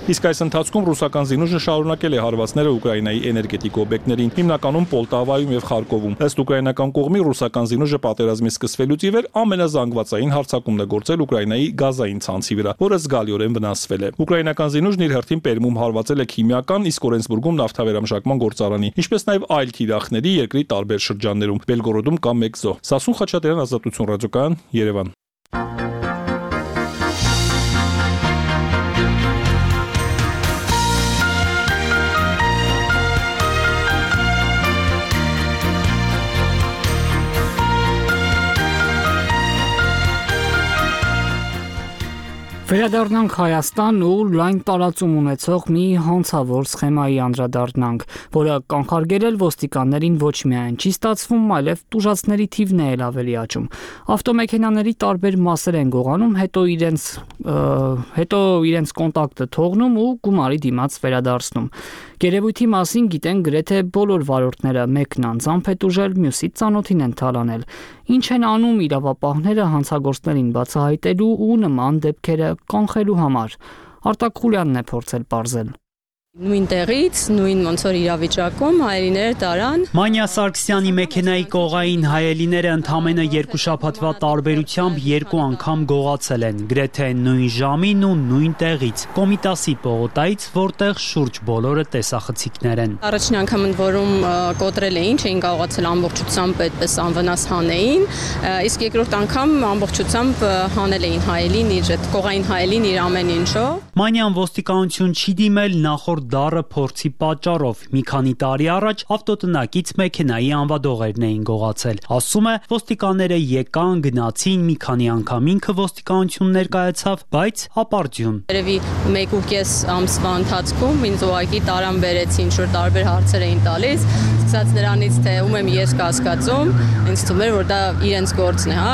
Իսկ այս ընթացքում ռուսական զինուժը շարունակել է հարվածները Ուկրաինայի էներգետիկ օբյեկտներին, հիմնականում Պոլտավայում եւ Խարկովում։ Ըստ ուկրաինական կողմի ռուսական զինուժը պատերազմի սկսվելուց ի վեր ամենազանգվածային հարձակումն է գործել Ուկրաինայի գազային ցանցի վրա, որը զգալիորեն վնասվել է։ Ուկրաինական զինուժն իր հերթին Պերմում հարվածել է քիմիական, իսկ Օրենսբուրգում նավթավերամշակման գործարանի, ինչպես նաեւ այլ թիրախների երկրի տարբեր շրջաններում։ Բելգորոդում կա մեկ զոհ։ Սասուն Խաչատրյան, Ազատություն ռադիոկայան, Երևան։ Վերադառնանք Հայաստան ու լայն տարածում ունեցող մի հանցավոր սխեմայի անդրադառնանք, որը կանխարգելել ոստիկաններին ոչ միայն չի ստացվում, այլև տուժածների թիվն է էլ ավելի աճում։ Ավտոմեքենաների տարբեր մասեր են գողանում, հետո իրենց հետո իրենց կոնտակտը թողնում ու գումարի դիմաց վերադարձնում։ Գերեվույթի մասին գիտեն գրեթե բոլոր վարորդները, մեկն անձամբ է տուժել, մյուսի ծանոթին են թալանել։ Ինչ են անում իրավապահները հանցագործներին բացահայտելու ու նման դեպքերը կանխելու համար։ Արտակ Խուլյանն է փորձել պարզել։ Նույն տեղից, նույն ոնց որ իրավիճակում հայելիները տարան։ Մանյա Սարգսյանի մեքենայի կողային հայելիները ընդամենը երկու շաբաթվա տարբերությամբ երկու անգամ գողացել են, գրեթե նույն ժամին ու նույն տեղից, Կոմիտասի պողոտայից, որտեղ շուրջ բոլորը տեսախցիկներ են։ Առաջին անգամ ընդ որում կոտրել էին, չէին կարողացել ամբողջությամբ այդպես անվնաս հանեին, իսկ երկրորդ անգամ ամբողջությամբ հանել էին հայելին, իր այդ կողային հայելին իր ամեն ինչով։ Մանյան ոստիկանություն չի դիմել նախորդ դառը փորձի պատճառով։ Մի քանի տարի առաջ ավտոտնակից մեքենայի անվադողերն էին գողացել։ Ասում է, ոստիկանները եկան, գնացին, մի քանի անգամ ինքը ոստիկանություն ներկայացավ, բայց ապարդյուն։ Երևի մեկ ու կես ամսվա ընթացքում ինձ ուղղակի տարան բերեցին, ինչ որ տարբեր հարցեր էին տալիս, սկսած նրանից թե ում եմ ես կասկածում, ինձ թվում էր որ դա իրենց գործն է, հա,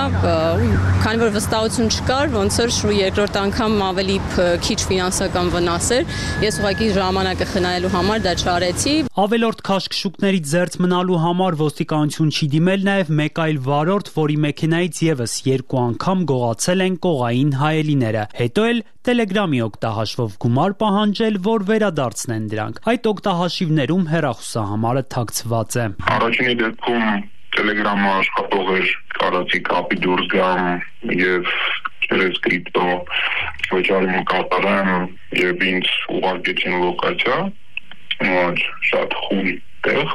քանի որ վստահություն չկար, ոնց որ երկրորդ անգամ ավելի քիչ ֆինանսական վնաս էր, ես ուղղակի ժամանակը խնայելու համար դա չարեցի։ Ավելորդ քաշքշուկներից զերծ մնալու համար ոստիկանություն չի դիմել նաև մեկ այլ վարորդ, որի մեքենայից եւս երկու անգամ գողացել են կողային հայելիները։ Հետո էլ Telegram-ի օգտահաշվով գումար պահանջել, որ վերադարձնեն դրանք։ Այդ օգտահաշիվներում հեռախոսահամարը թաքցված է։ Առաջինի դեպքում Telegram-ը աշխատող էր, կարծի կապի դուրս գամ եւ через կրիպտո վճարում կատարեմ եւ ինձ ուղարկեցին լոկացիա, որ շատ խուլ տեղ։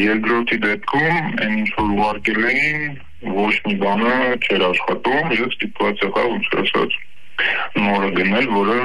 Երկրորդի դեպքում այն ինչ որ ուղարկել էին, ոչ մի բանը չէր աշխատում, ես ստիպված եղա ոնց ասած նորը գնել, որը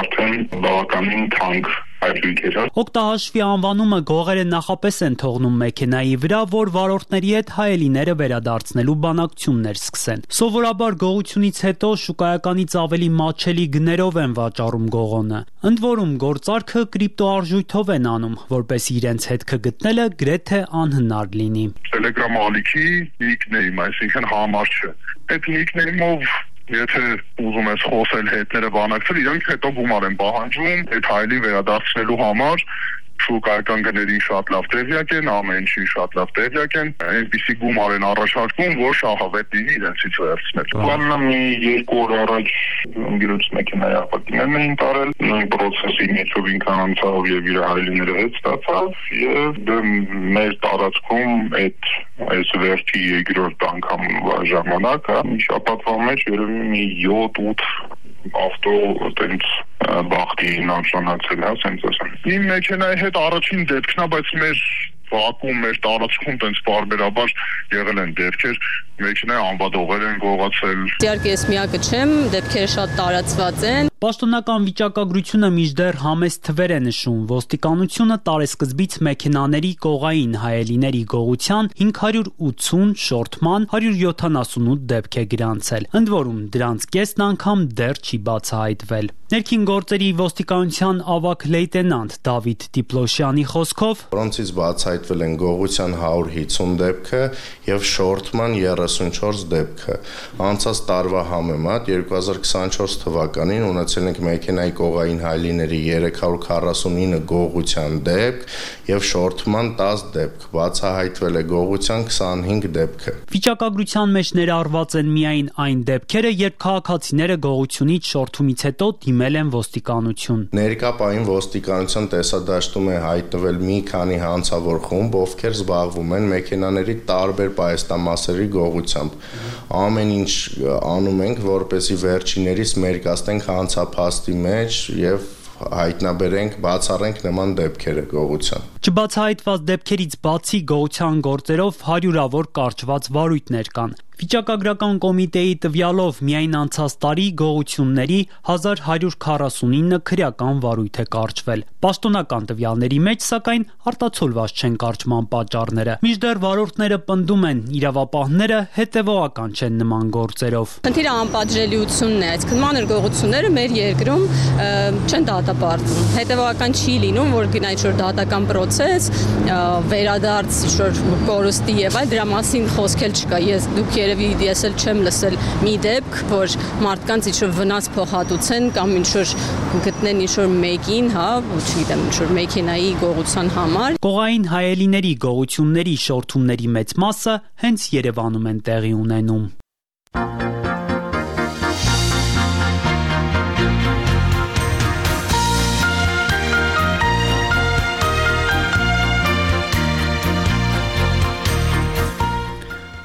արդեն բավականին թանկ Օգտահաշվի անվանումը գողերը նախապես են թողնում մեքենայի վրա, որ վարորդների հետ հայելիները վերադարձնելու բանակցություններ սկսեն։ Սովորաբար գողությունից հետո շուկայականից ավելի մատչելի գներով են վաճառում գողոնը։ Ընդ որում գործարքը կրիպտոարժույթով են անում, որպեսզի իրենց հետքը գտնելը գրեթե անհնար լինի։ Telegram ալիքի նիկնեյմ, այսինքն համար չէ։ Այդ նիկնեյմով Եթե ուզում ես խոսել հետները բանակցել, իրանք հետո գումար են պահանջում, այդ հայելի վերադարձնելու համար շուկայական գներին շատ լավ տեղյակ են, ամեն ինչի շատ լավ տեղյակ են, այնպիսի գումար են առաջարկում, որ շահավետ լինի իրենցից վերցնել։ Բաննա մի երկու օր առաջ գիրուց մեքենայի ապակիներն էին տարել, նույն պրոցեսի միջով ինքան անցավ եւ իր հայելիները հետ ստացավ եւ դե մեր տարածքում այդ այս վերջի երկրորդ անգամ ժամանակը շաբաթվա մեջ երևի մի յոթ ութ ավտո այդպես բախտի նշանացել է, ասենք ասեմ։ Իմ մեքենայի հետ առաջին դեպքն է, բայց մեր վակում մեր տարածքում տենց բարբերաբար եղել են դեպքեր, մեքենայի անվադողեր են գողացել։ Իհարկե ես միակը չեմ, դեպքերը շատ տարածված են։ Պաշտոնական վիճակագրությունը մինչդեռ համեստ թվեր է նշում։ Ոստիկանությունը տարեսկզբից մեքենաների կողային հայելիների գողության հինգ հարյուր ութուն շորթման հարյուր յոթանասունութ դեպք է գրանցել։ Ընդ որում դրանց կեսն անգամ դեռ չի բացահայտվել։ Ներքին գործերի ոստիկանության ավագ լեյտենանտ Դավիթ Տիպլոշյանի խոսքով, որոնցից բացահայտվել են գողության հարյուր հիսուն դեպքը եւ շորթման երեսունչորս դեպքը։ Անցած տարվա համեմատ երկու հազար քսանչորս թվականին ունեցել ստացել ենք մեքենայի կողային հայելիների երեք հարյուր քառասունինը գողության դեպք եւ շորթման տասը դեպք, բացահայտվել է գողության քսանհինգ դեպքը։ Վիճակագրության մեջ ներառված են միայն այն դեպքերը, երբ քաղաքացիները գողությունից շորթումից հետո դիմել են ոստիկանություն։ Ներկա պահին ոստիկանության տեսադաշտում է հայտնվել մի քանի հանցավոր խումբ, ովքեր զբաղվում են մեքենաների տարբեր պայեստամասերի գողությամբ։ Ամեն ինչ անում ենք, որպեսզի վերջիներից մերկացնենք հանցափաստի մեջ եւ հայտնաբերենք, բացառենք նման դեպքերը գողության։ Չբացահայտված դեպքերից բացի գողության գործերով հարյուրավոր կարճված վարույթներ կան։ Վիճակագրական կոմիտեի տվյալով միայն անցած տարի գողությունների հազար հարյուր քառասունինը քրեական վարույթ է կարճվել։ Պաշտոնական տվյալների մեջ, սակայն, արտացոլված չեն կարճման պատճառները։ Մինչդեռ վարորդները պնդում են, իրավապահները հետևողական չեն նման գործերով։ Խնդիրը անպատժելիությունն է, այսինքն մանր գողությունները մեր երկրում չեն դատապարտվում։ Հետևողական չի լինում, որ գնա ինչ-որ դատական պրոցես, վերադարձ ինչ-որ կորուստի եւ այլ, դրա մասին խոսք էլ չկա։ Ես դուք երևի ես էլ չեմ լսել մի դեպք, որ մարդկանց ինչ-որ վնաս փոխհատուցեն կամ ինչ-որ գտնեն ինչ-որ մեկին, հա, չգիտեմ, ինչ-որ մեքենայի գողության համար։ Կողային հայելիների գողությունների շորթումների մեծ մասը հենց Երևանում են տեղի ունենում։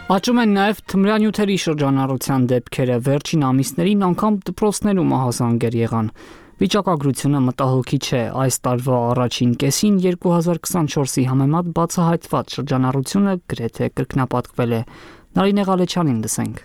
Աճում են նաև թմրանյութերի շրջանառության դեպքերը, վերջին ամիսներին անգամ դպրոցներում ահազանգեր եղան։ Վիճակագրությունը մտահոգիչ է, այս տարվա առաջին կեսին երկու հազար քսանչորսի համեմատ բացահայտված շրջանառությունը գրեթե կրկնապատկվել է։ Նարինե Ղալեչյանին լսենք։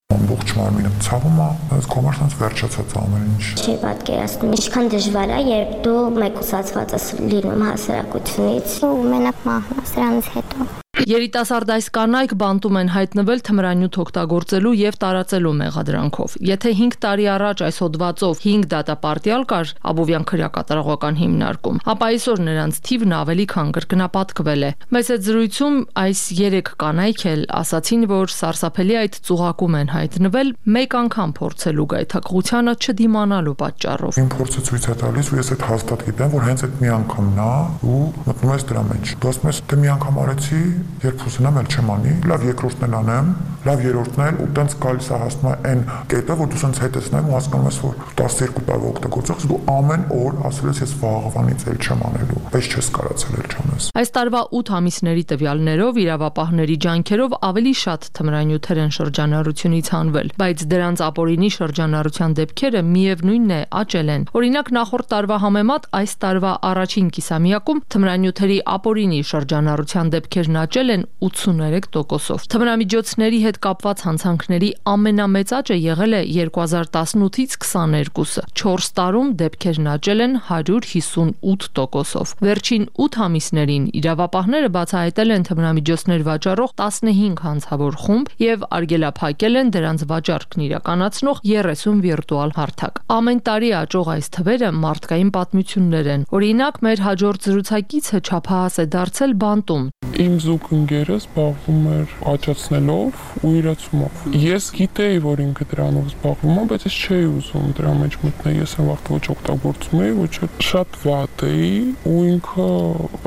Ամբողջ մարմինը ցավում է, այս կոմերսանց վերջացած ամեն ինչ։ Չի պատկերացնում, ինչքան դժվար է, երբ դու մեկուսացված ես լինում հասարակությունից ու մենակ մահն ես դրանից հետո։ Երիտասարդ այս կանայք բանտում են հայտնվել թմրանյութ օգտագործելու եւ տարածելու մեղադրանքով։ Եթե հինգ տարի առաջ այս հոդվածով հինգ դատապարտյալ կար Աբովյան քրեակատարողական հիմնարկում, ապա այսօր նրանց թիվն ավելի քան կրկնապատկվել է։ Մեծ այդ զրույցում այս երեք կանայք էլ ասացին, որ սարսափելի այդ ծուղակում են հայտնվել մեկ անգամ փորձելու գայթակղությանը չդիմանալու պատճառով։ Իմ փորձը ցույց է տալիս ու ես այդ հաստատ գիտեմ, որ հենց այդ մի անգամն է ու մտնում ես դրա մեջ։ Դու ասում ես, դե մի անգամ արեցի, երբ ուզենամ էլ չեմ անի, լավ երկրորդն էլ անեմ, լավ երրորդն էլ ու տենց գալիս է հասնում է այն կետը, որ դու սենց հետ ես նայում ու հասկանում ես, որ տասներկու տարվա օգտագործող ես, դու ամեն օր ասել ես ես վաղվանից էլ չեմ անելու, պես չես կարացել էլ չանես։ Այս տարվա ութ ամիսների տվյալներով իրավապահների ջանքերով ավելի շատ թմրանյութեր են շրջանառությունից հանվել, բայց դրանց ապօրինի շրջանառության դեպքերը միևնույնն է աճել են։ Օրինակ նախորդ տարվա համեմատ այս տարվա առաջին կիսամյակում թմրանյութերի ապօրինի շրջանառության դեպքերն աճել են ութսուներեք տոկոսով։ Թմրամիջոցների հետ կապված հանցանքների ամենամեծ աճը եղել է երկու հազար տասնութից քսաներկուսը։ չորս տարում դեպքերն աճել են հարյուր հիսունութ տոկոսով։ Վերջին ութ ամիսներին իրավապահները բացահայտել են թմրամիջոցներ վաճառող տասնհինգ հանցավոր խումբ եւ արգելափակել են դրանց վաճառքն իրականացնող երեսուն վիրտուալ հարթակ։ Ամեն տարի աճող այս թվերը մարդկային պատմություններ են։ Օրինակ, մեր հաջորդ զրուցակիցը չափահաս է դարձել բանտում։ Իմ զուգ ընկերը զբաղվում էր աճացնելով ու իրացումով։ Ես գիտեի, որ ինքը դրանով զբաղվում է, բայց ես չէի ուզում դրա մեջ մտնել։ Ես այն վաղ ոչ օգտագործում էի, ոչ շատ վատ էի ու ինքը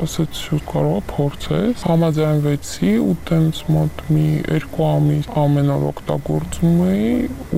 ասաց, որ կարող է փորձես։ Համաձայնվեցի ու տենց մոտ մի երկու ամիս ամեն օր օգտագործում էի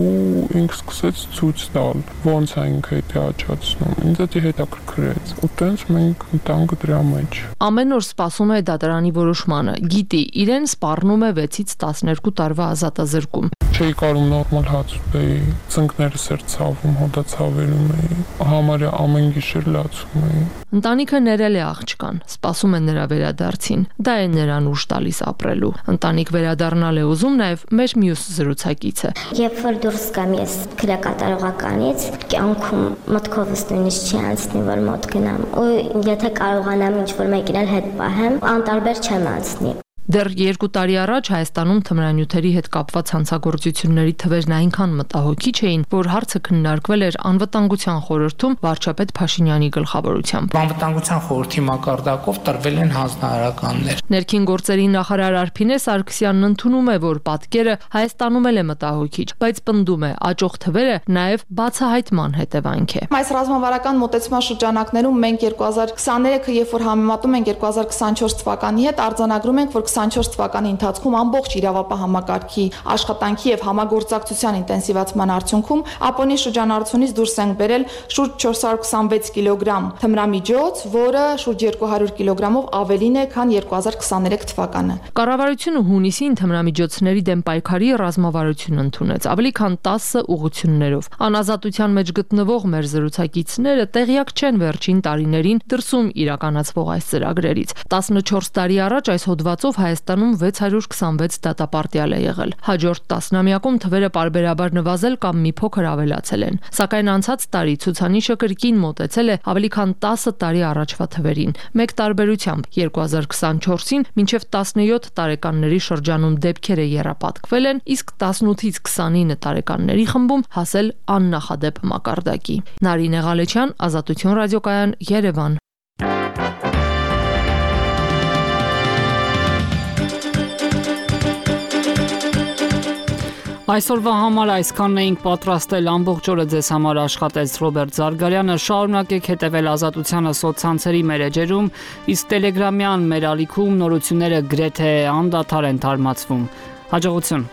ու ինքը սկսեց ցույց տալ, ոնց է ինքը դա աճացնում։ Ինձ դա հետաքրքրեց ու տենց մենք ընտանք դրա մեջ։ Ամեն օր սպասում է դատարանի որոշմանը, գիտի, իրեն սպառնում է վեցից տասներկու տարվա ազատազրկում։ Չէի կարում նորմալ հաց ուտեի, ծնկներս էր ցավում, հոդացավերում էի, համարյա ամեն գիշեր լացում էի։ Ընտանիքը ներել է աղջկան, սպասում է նրա վերադարձին։ Դա է նրան ուժ տալիս ապրելու։ Ընտանիք վերադառնալ է ուզում նաև մեր մյուս զրուցակիցը։ Երբ որ դուրս գամ ես քրեակատարողականից, կյանքում մտքովս նույնիսկ չի անցնի, որ մոտ գնամ։ Ու եթե կարողանամ ինչ-որ մեկին էլ հետ պահեմ, անտարբեր չեմ անցնի։ Դեռ երկու տարի առաջ Հայաստանում թմրանյութերի հետ կապված հանցագործությունների թվերն այնքան մտահոգիչ էին, որ հարցը քննարկվել էր Անվտանգության խորհրդում վարչապետ Փաշինյանի գլխավորությամբ։ Անվտանգության խորհրդի մակարդակով տրվել են հանձնարարականներ։ Ներքին գործերի նախարար Արփինե Սարգսյանն ընդունում է, որ պատկերը Հայաստանում էլ է մտահոգիչ, բայց պնդում է, աճող թվերը նաև բացահայտման հետևանք է։ Այս ռազմավարական մոտեցման շրջանակներում մենք երկու հազար քսաներեքը, երբ որ համեմատում ենք երկու հազար քսանչորս թվականի հետ, արձանագրում ենք, որ քսանչորս թվականի ընթացքում ամբողջ իրավապահ համակարգի աշխատանքի եւ համագործակցության ինտենսիվացման արդյունքում Ապոնի շրջանառությունից դուրս ենք բերել շուրջ չորս հարյուր քսանվեց կիլոգրամ թմրամիջոց, որը շուրջ երկու հարյուր կիլոգրամով ավելին է, քան երկու հազար քսաներեք թվականը։ Կառավարությունը հունիսին թմրամիջոցների դեմ պայքարի ռազմավարություն ընդունեց, ավելի քան տասը ուղղություններով։ Անազատության մեջ գտնվող մեր զրուցակիցները տեղյակ չեն վերջին տարիներին դրսում իրականացվող այս ծրագրերից։ տասնչորս տարի առաջ այս հոդվածով Հայաստանում վեց հարյուր քսանվեց դատապարտյալ է եղել։ Հաջորդ տասնամյակում թվերը պարբերաբար նվազել կամ մի փոքր ավելացել են։ Սակայն անցած տարի ցուցանիշը կրկին մոտեցել է ավելի քան տասը տարի առաջվա թվերին։ Մեկ տարբերությամբ երկու հազար քսանչորսին մինչև տասնյոթ տարեկանների շրջանում դեպքերը եռապատկվել են, իսկ տասնութից քսանինը տարեկանների խմբում հասել աննախադեպ մակարդակի։ Նարինե Ղալեչյան, Ազատություն ռադիոկայան, Երևան։ Այսօրվա համար այսքանն էինք պատրաստել, ամբողջ օրը ձեզ համար աշխատեց Ռոբերտ Զարգարյանը։ Շարունակեք հետևել Ազատությանը սոցցանցերի մեր էջերում, իսկ Տելեգրամյան մեր ալիքում նորությունները գրեթե անդադար են թարմացվում։ Հաջողություն։